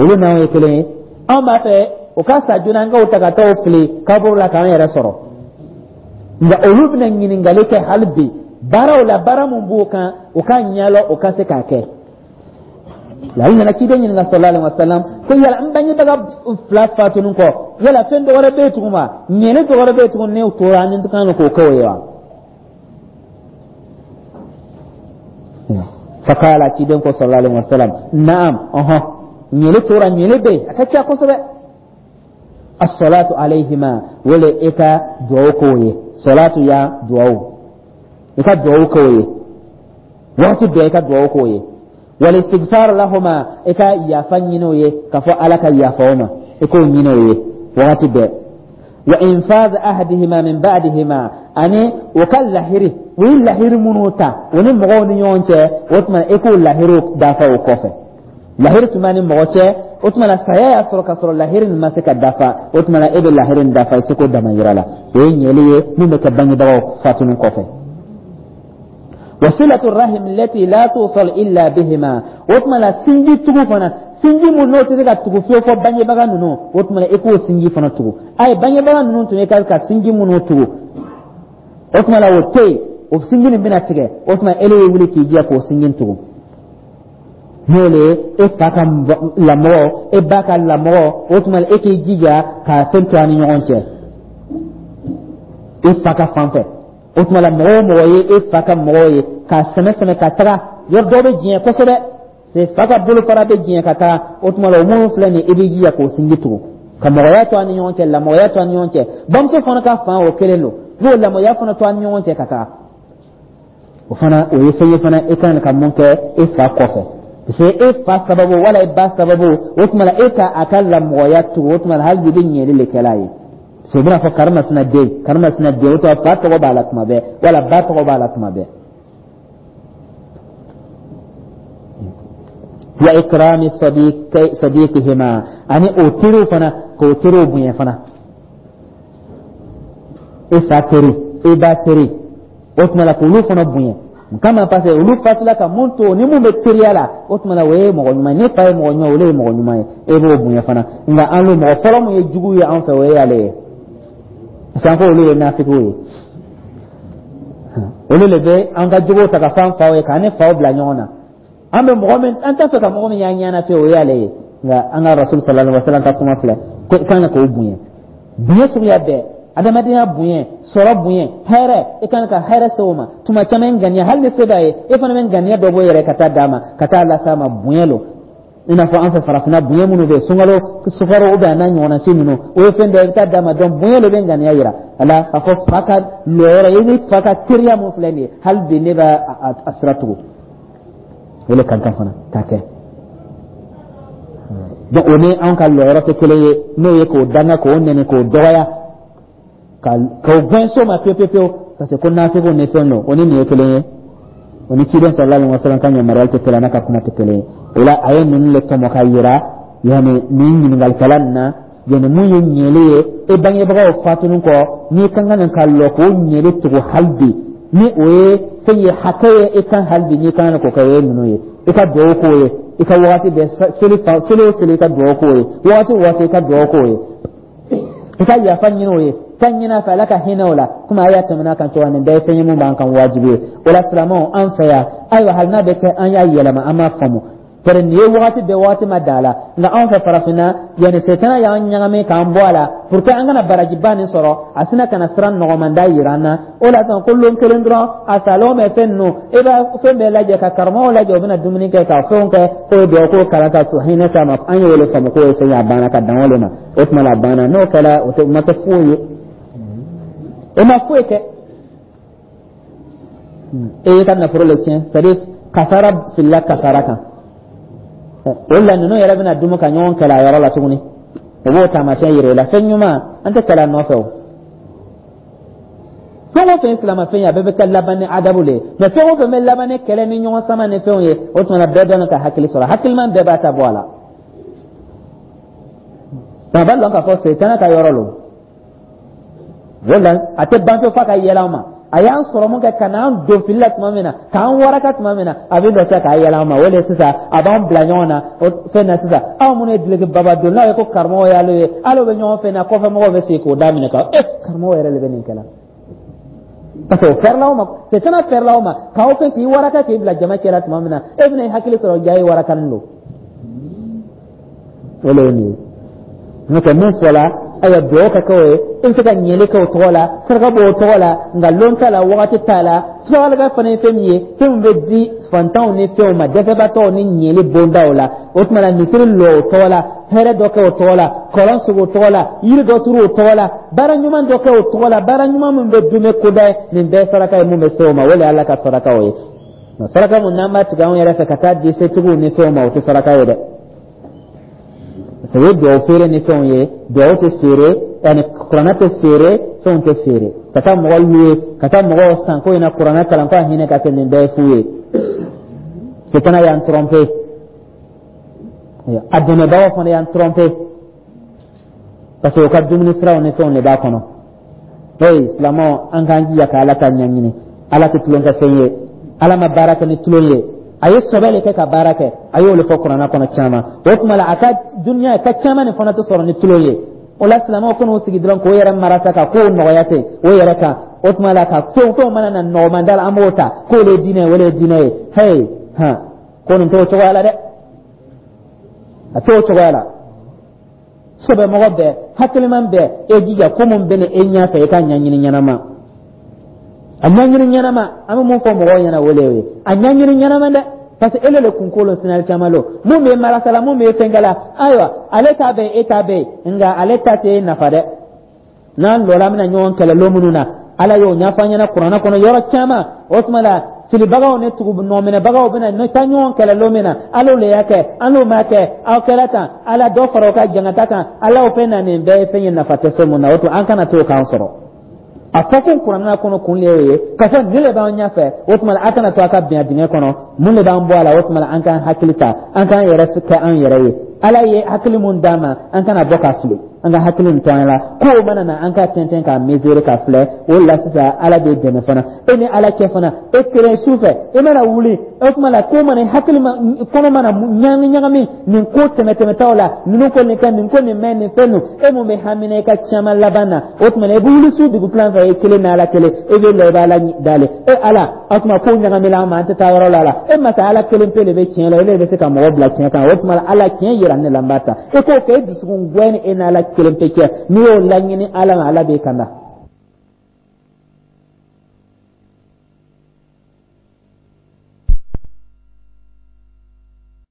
olu n'anw ye kelen ye. Anw b'a fɛ o ka sa joona, an k'o ta ka taa o fili kaburu la k'an yɛrɛ sɔrɔ. Nka olu bɛna ɲininkali kɛ hali bi baaraw la, baara mun b'o kan, o ka ɲɛlɔ, o ka se k'a kɛ. Ale nana ciden ɲininka sallallahu alaihi wasallam ko yala n bangebaga fila fatunin kɔ, yala fɛn dɔ wɛrɛ bɛ yen tugun wa, ɲɛni dɔ wɛrɛ bɛ yen tugun ne tora ni kan k'o kɛ o ye wa? Fakala, ciden ko sallallahu alaihi wasallam: naam, ɔhɔn, ɲɛli tora, ɲɛli bɛ yen, a ka ca kosɛbɛ. As-salatu alayhima, wele i ka duwawu k'o ye. Salatu ya duwawu, i ka duwawu k'o ye waati bɛɛ, i ka duwawu k'o ye. Wal istighfar lahuma, i ka yafa ɲini o ye, k'a fɔ Ala ka yafa o ma, i k'o ɲini o ye wagati bɛɛ. Wa infaz ahdihima min ba'dihima, ani o ka lahiri, u ye lahiri minnu ta o ni mɔgɔw ni ɲɔgɔn cɛ, o tuma i k'o lahiriw dafa o kɔfɛ. Lahiri tun b'a ni mɔgɔ cɛ, o tuma na saya y'a sɔrɔ ka sɔrɔ lahiri nin ma se ka dafa, o tuma na e bɛ lahiri nin dafa i seko dama yira la. O ye ɲɛli ye min bɛ kɛ bangebagaw fatuni kɔfɛ. Wasilatu rahim lati la tusal illa bihima, o tuma la sinji tugu fana, sinji mun n'o tɛ se ka tugu fiyewu fɔ bangebaga ninnu, o tuma la i k'o sinji fana tugu. A ye bangebaga ninnu tun ye ka sinji minnu tugu, o tuma la o tɛ yen, o sinji nin bɛna tigɛ, o tuma e ye wuli k'i jɛ k'o sinji tugu, n'o le ye e fa ka lamɔgɔ, e ba ka lamɔgɔ. O tuma e k'i jija k'a fɛn to a ni ɲɔgɔn cɛ, e fa ka fan fɛ. O tuma la mɔgɔ o mɔgɔ ye e fa ka mɔgɔ ye, k'a sɛmɛ sɛmɛ ka taga yɔrɔ dɔ bɛ diɲɛ kosɛbɛ, se fa ka bolofara bɛ diɲɛ ka taga, o tuma la o minnu filɛ nin ye, i b'i jija k'o sinji tugu, ka mɔgɔya to a ni ɲɔgɔn cɛ, lamɔgɔya to a ni ɲɔgɔn cɛ. Bamuso fana ka fan, o kelen don, n'o lamɔya fana to a ni ɲɔgɔn cɛ ka taga, o fana o ye fɛn ye fana e kan ka mun kɛ e fa kɔfɛ, parce que e fa sababu wala e ba sababu, o tuma la e ka a ka lamɔgɔya tugu, o tuma la hali bi i bɛ ɲɛli le kɛla ye. Parce que u bɛna fɔ karimasina den, karimasina den, o tuma fa tɔgɔ b'a la tuma bɛɛ wala ba tɔgɔ b'a la tuma bɛɛ. Wa ikrami sadiqihima, ani o teriw fana, k'o teriw bonya fana, e fa teri, e ba teri, o tuma la k'olu fana bonya kama, parce que olu fatula ka mun to ni mun bɛ teriya la, o tuma la o ye mɔgɔ ɲuman ye. Ne fa ye mɔgɔ ɲuman ye, olu ye mɔgɔ ɲuman ye, e b'o bonya fana. Nka an n'o mɔgɔ fɔlɔ mun ye jugu ye an fɛ, o ye ale ye, parce que an ko olu ye nafigiw ye. Olu de bɛ an ka jogow ta ka fɔ an faw ye, k'an ni faw bila ɲɔgɔn na. An bɛ mɔgɔ min, an t'a fɛ ka mɔgɔ min y'an ɲɛna fiyewu, o y'ale ye. Nka an ka Rasul sallallahu alaihi wa sallam ka kuma filɛ ko i kan ka k'o bonya, bonya suguya bɛɛ, adamadenya bonya, sɔrɔ bonya, hɛrɛ, i kan ka hɛrɛ se o ma. Tuma caman ŋaniya, hali ni se b'a ye, e fana bɛ ŋaniya dɔ bɔ i yɛrɛ ka taa d'a ma, ka taa las'a ma. Bonya lo, i n'a fɔ an fɛ farafinna bonya minnu bɛ yen, sunkalo sukaro ou bien a n'a ɲɔgɔnna si ninnu, o ye fɛn dɔ ye i bɛ taa d'a ma. Donc bonya lo bɛ ŋaniya yira a la k'a fɔ fa ka lɔyɔrɔ i ni fa ka teriya mun filɛ nin ye, hali bi ne b'a a sira tugu, o le ka kan fana k'a kɛ. Donc o ni anw ka lɔyɔrɔ tɛ kelen ye, n'o ye k'o danga, k'o nɛni, k'o dɔgɔya, k'o gɛn so ma pewu pewu pewu, parce que ko nafigiw ni fɛn don. O ni nin ye kelen ye, o ni ciden sallallahu alaihi wasallam ka yamaruya tɛ kelen, n'a ka kuma tɛ kelen ye. O la a ye ninnu le tɔmɔ ka yira, yanni nin ɲininkalikɛla nin na, yanni mun ye ɲɛli ye e bangebagaw fatuni kɔ, n'i ka kan ka lɔ k'o ɲɛli tugu hali bi, ni o ye fɛn ye hakɛ ye e kan hali bi, n'i kan k'o kɛ, o ye ninnu ye: i ka duwawu k'o ye, i ka wagati bɛɛ, seli fa seli o seli i ka duwawu k'o ye, wagati o waati i ka duwawu k'o ye, i ka yafa ɲini o ye, ka ɲini a fɛ Ala ka hinɛ o la, komi a y'a tɛmɛna kan cogoya. Nin bɛɛ ye fɛn ye mun b'an kan wajibi ye. O la silamɛw, an fɛ yan, ayiwa, hali n'a bɛ kɛ an y'a yɛlɛma, an m'a faamu. Bari nin ye wagati bɛɛ, wagati ma da la. Nka anw fɛ farafinna, yanni setana y'an ɲagami k'an bɔ a la pour que an kana barajiba nin sɔrɔ, a sina ka na sira nɔgɔmanda yira an na. O la sisan ko lon kelen dɔrɔn a salen bɛ fɛn ninnu, e b'a fɛn bɛɛ lajɛ ka karamɔgɔw lajɛ, u bɛna dumuni kɛ ka fɛnw kɛ, k'o ye dugawu, k'o kalan ka hinɛ s'a ma. An y'o de faamu k'o ye fɛn ye, a banna ka dan o de ma. O tuma la a banna. N'o kɛra, o tɛ o ma kɛ foyi ye, o ma foyi kɛ, e y'i ka nafolo le tiɲɛ, c'est à dire kasara filila kasara kan. O la ninnu yɛrɛ bɛna dumu ka ɲɔgɔn kɛlɛ a yɔrɔ la tuguni. O b'o taamasiyɛn yira i la. Fɛn ɲuman, an tɛ kɛlɛ a nɔfɛ. O fɛn o fɛn ye silamɛ fɛn ye, a bɛɛ bɛ kɛ laban ni adabu le ye. Mɛ fɛn o fɛn bɛ laban ni kɛlɛ ni ɲɔgɔn sama ni fɛnw ye, o tuma na bɛɛ dɔn ka hakili sɔrɔ, hakiliman bɛɛ b'a ta bɔ a la. A b'a dɔn k'a fɔ setana ka yɔrɔ lo. O la a tɛ ban fo ka yɛlɛ an ma. A y'an sɔrɔ mun kɛ ka n'an don fili la tuma min na, k'an waraka tuma min na, a bɛ dɔ se k'a yɛlɛ an ma. O de sisan a b'an bila ɲɔgɔn na o fɛn na. Sisan aw minnu ye duloki baba don n'a ye ko karamɔgɔ y'ale ye, hali bɛ ɲɔgɔn fɛn na, kɔfɛ mɔgɔw bɛ sigi k'o daminɛ ka e karamɔgɔ yɛrɛ de bɛ nin kɛ la, parce que o fɛrɛla aw ma, setana fɛrɛla aw ma k'aw fɛn k'i waraka k'i bila jama cɛ la tuma min na, e bɛna i hakili sɔrɔ ja i warakanin don. O de ye nin ye. N'o tɛ mun fɔla, ayiwa, dugawu ka kɛ o ye, i bɛ se ka ɲɛli kɛ o tɔgɔ la, saraka bɔ o tɔgɔ la, nka lon t'a la, wagati t'a la. Saraka fana ye fɛn min ye, fɛn min bɛ di fantanw ni fɛnw ma, dɛsɛbaatɔw ni ɲɛli bondaw la. O tuma na misiri lɔ o tɔgɔ la, hɛrɛ dɔ kɛ o tɔgɔ la, kɔlɔn sigi o tɔgɔ la, yiri dɔ turu o tɔgɔ la, baara ɲuman dɔ kɛ o tɔgɔ la, baara ɲuman min bɛ dunbe koda ye, nin bɛɛ saraka ye mun bɛ se o ma. O de ye Ala ka sarakaw ye. Nka saraka mun n'an b'a tigɛ anw yɛrɛ fɛ ka taa di setigiw ni fɛnw ma, o tɛ saraka ye dɛ, parce que o ye duwawu feere ni fɛnw ye. Duwawu tɛ feere, yani kuranɛ tɛ feere, fɛnw tɛ feere. Ka taa mɔgɔ luwe, ka taa mɔgɔw san ko in na kuranɛ kalan ko a hinɛ ka se, nin bɛɛ ye fu ye. Setana y'an tromper, a dɛmɛbagaw fana y'an tromper, parce que o ka dumuni siraw ni fɛnw de b'a kɔnɔ. Hey, silamɛw, an k'an jija ka Ala ta ɲɛɲini. Ala tɛ tulon kɛ fɛn ye, Ala ma baara kɛ ni tulon ye, a ye sɔbɛ de kɛ ka baara kɛ. A y'o de fɔ kuranɛ kɔnɔ caman. O tuma la a ka duniya ka caman nin fana tɛ sɔrɔ ni tulon ye. O la silamɛw kan'u sigi dɔrɔn k'o yɛrɛ marasa ka kow nɔgɔya ten o yɛrɛ kan. O tuma la ka fɛn fɛnw mana na nɔgɔmanda la, an b'o ta k'o de ye diinɛ ye, o de ye diinɛ ye. Hey, han, ko nin t'o cogoya la dɛ, a t'o cogoya la. Sɔbɛmɔgɔ bɛɛ, hakiliman bɛɛ, e jija ko mun bɛ ni e ɲɛfɛ, i ka ɲɛɲini ɲɛnama, a ɲɛɲini ɲɛnama. An bɛ mun fɔ mɔgɔw ɲɛna, o de ye a ɲɛɲini ɲɛnama dɛ, parce que ele le kunkolo sinali caman lo mun bɛ marasa la, mun bɛ fɛnkɛ la. Ayiwa, ale ta bɛ yen, e ta bɛ yen, nka ale ta tɛ e nafa dɛ. N'an lɔra, an bɛna ɲɔgɔn kɛlɛ lon minnu na, Ala y'o ɲɛfɔ an ɲɛna kuranɛ kɔnɔ yɔrɔ caman. O tuma la filibagaw ni tugu nɔminɛbagaw bɛna ne taa ɲɔgɔn kɛlɛ lon min na, Ala le y'a kɛ, an n'o m'a kɛ, aw kɛra tan, Ala dɔ fara o ka jangata kan, Ala o fɛn na. Nin bɛɛ ye fɛn ye nafa tɛ fɛn mun na. O tuma an kana t'o k'an sɔrɔ. A fɔ ko kuranɛ kɔnɔ kun de y'o ye k'a fɔ nin de b'an ɲɛfɛ. O tuma a kana to a ka bin a dingɛ kɔnɔ. Mun de b'an bɔ a la? O tuma an k'an hakili ta, an k'an yɛrɛ kɛ an yɛrɛ ye. Ala ye hakili mun d'an ma, an kana bɔ ka fili, an ka hakili nin to an la. Kow mana na, an ka tɛntɛn k'a mesurer ka filɛ. O la sisan Ala b'e dɛmɛ fana, e ni Ala cɛ fana. E kelen su fɛ, e mana wuli, o tuma la ko mana hakili ma kɔnɔ mana ɲagami ɲagami nin ko tɛmɛ tɛmɛtaw la, ninnu ko nin kɛ, nin ko nin mɛn, nin fɛn ninnu, e mun bɛ hamina i ka caman laban na. O tuma na i bɛ wuli su dugutilan fɛ, e kelen ni Ala kelen, e bɛ lɔ, i bɛ Ala dali. E Ala, o tuma ko ɲagamina an ma, an tɛ taa yɔrɔ la. La e masa Ala kelen pe de bɛ tiɲɛ la, e de bɛ se ka mɔgɔ bila tiɲɛ kan. O tuma la Ala, tiɲɛ yira ne la, n b'a ta. E k'o kɛ e dusukun gɛn ni e n'Ala kelen pe cɛ. N'i y'o laɲini Ala ma, Ala b'e kanda.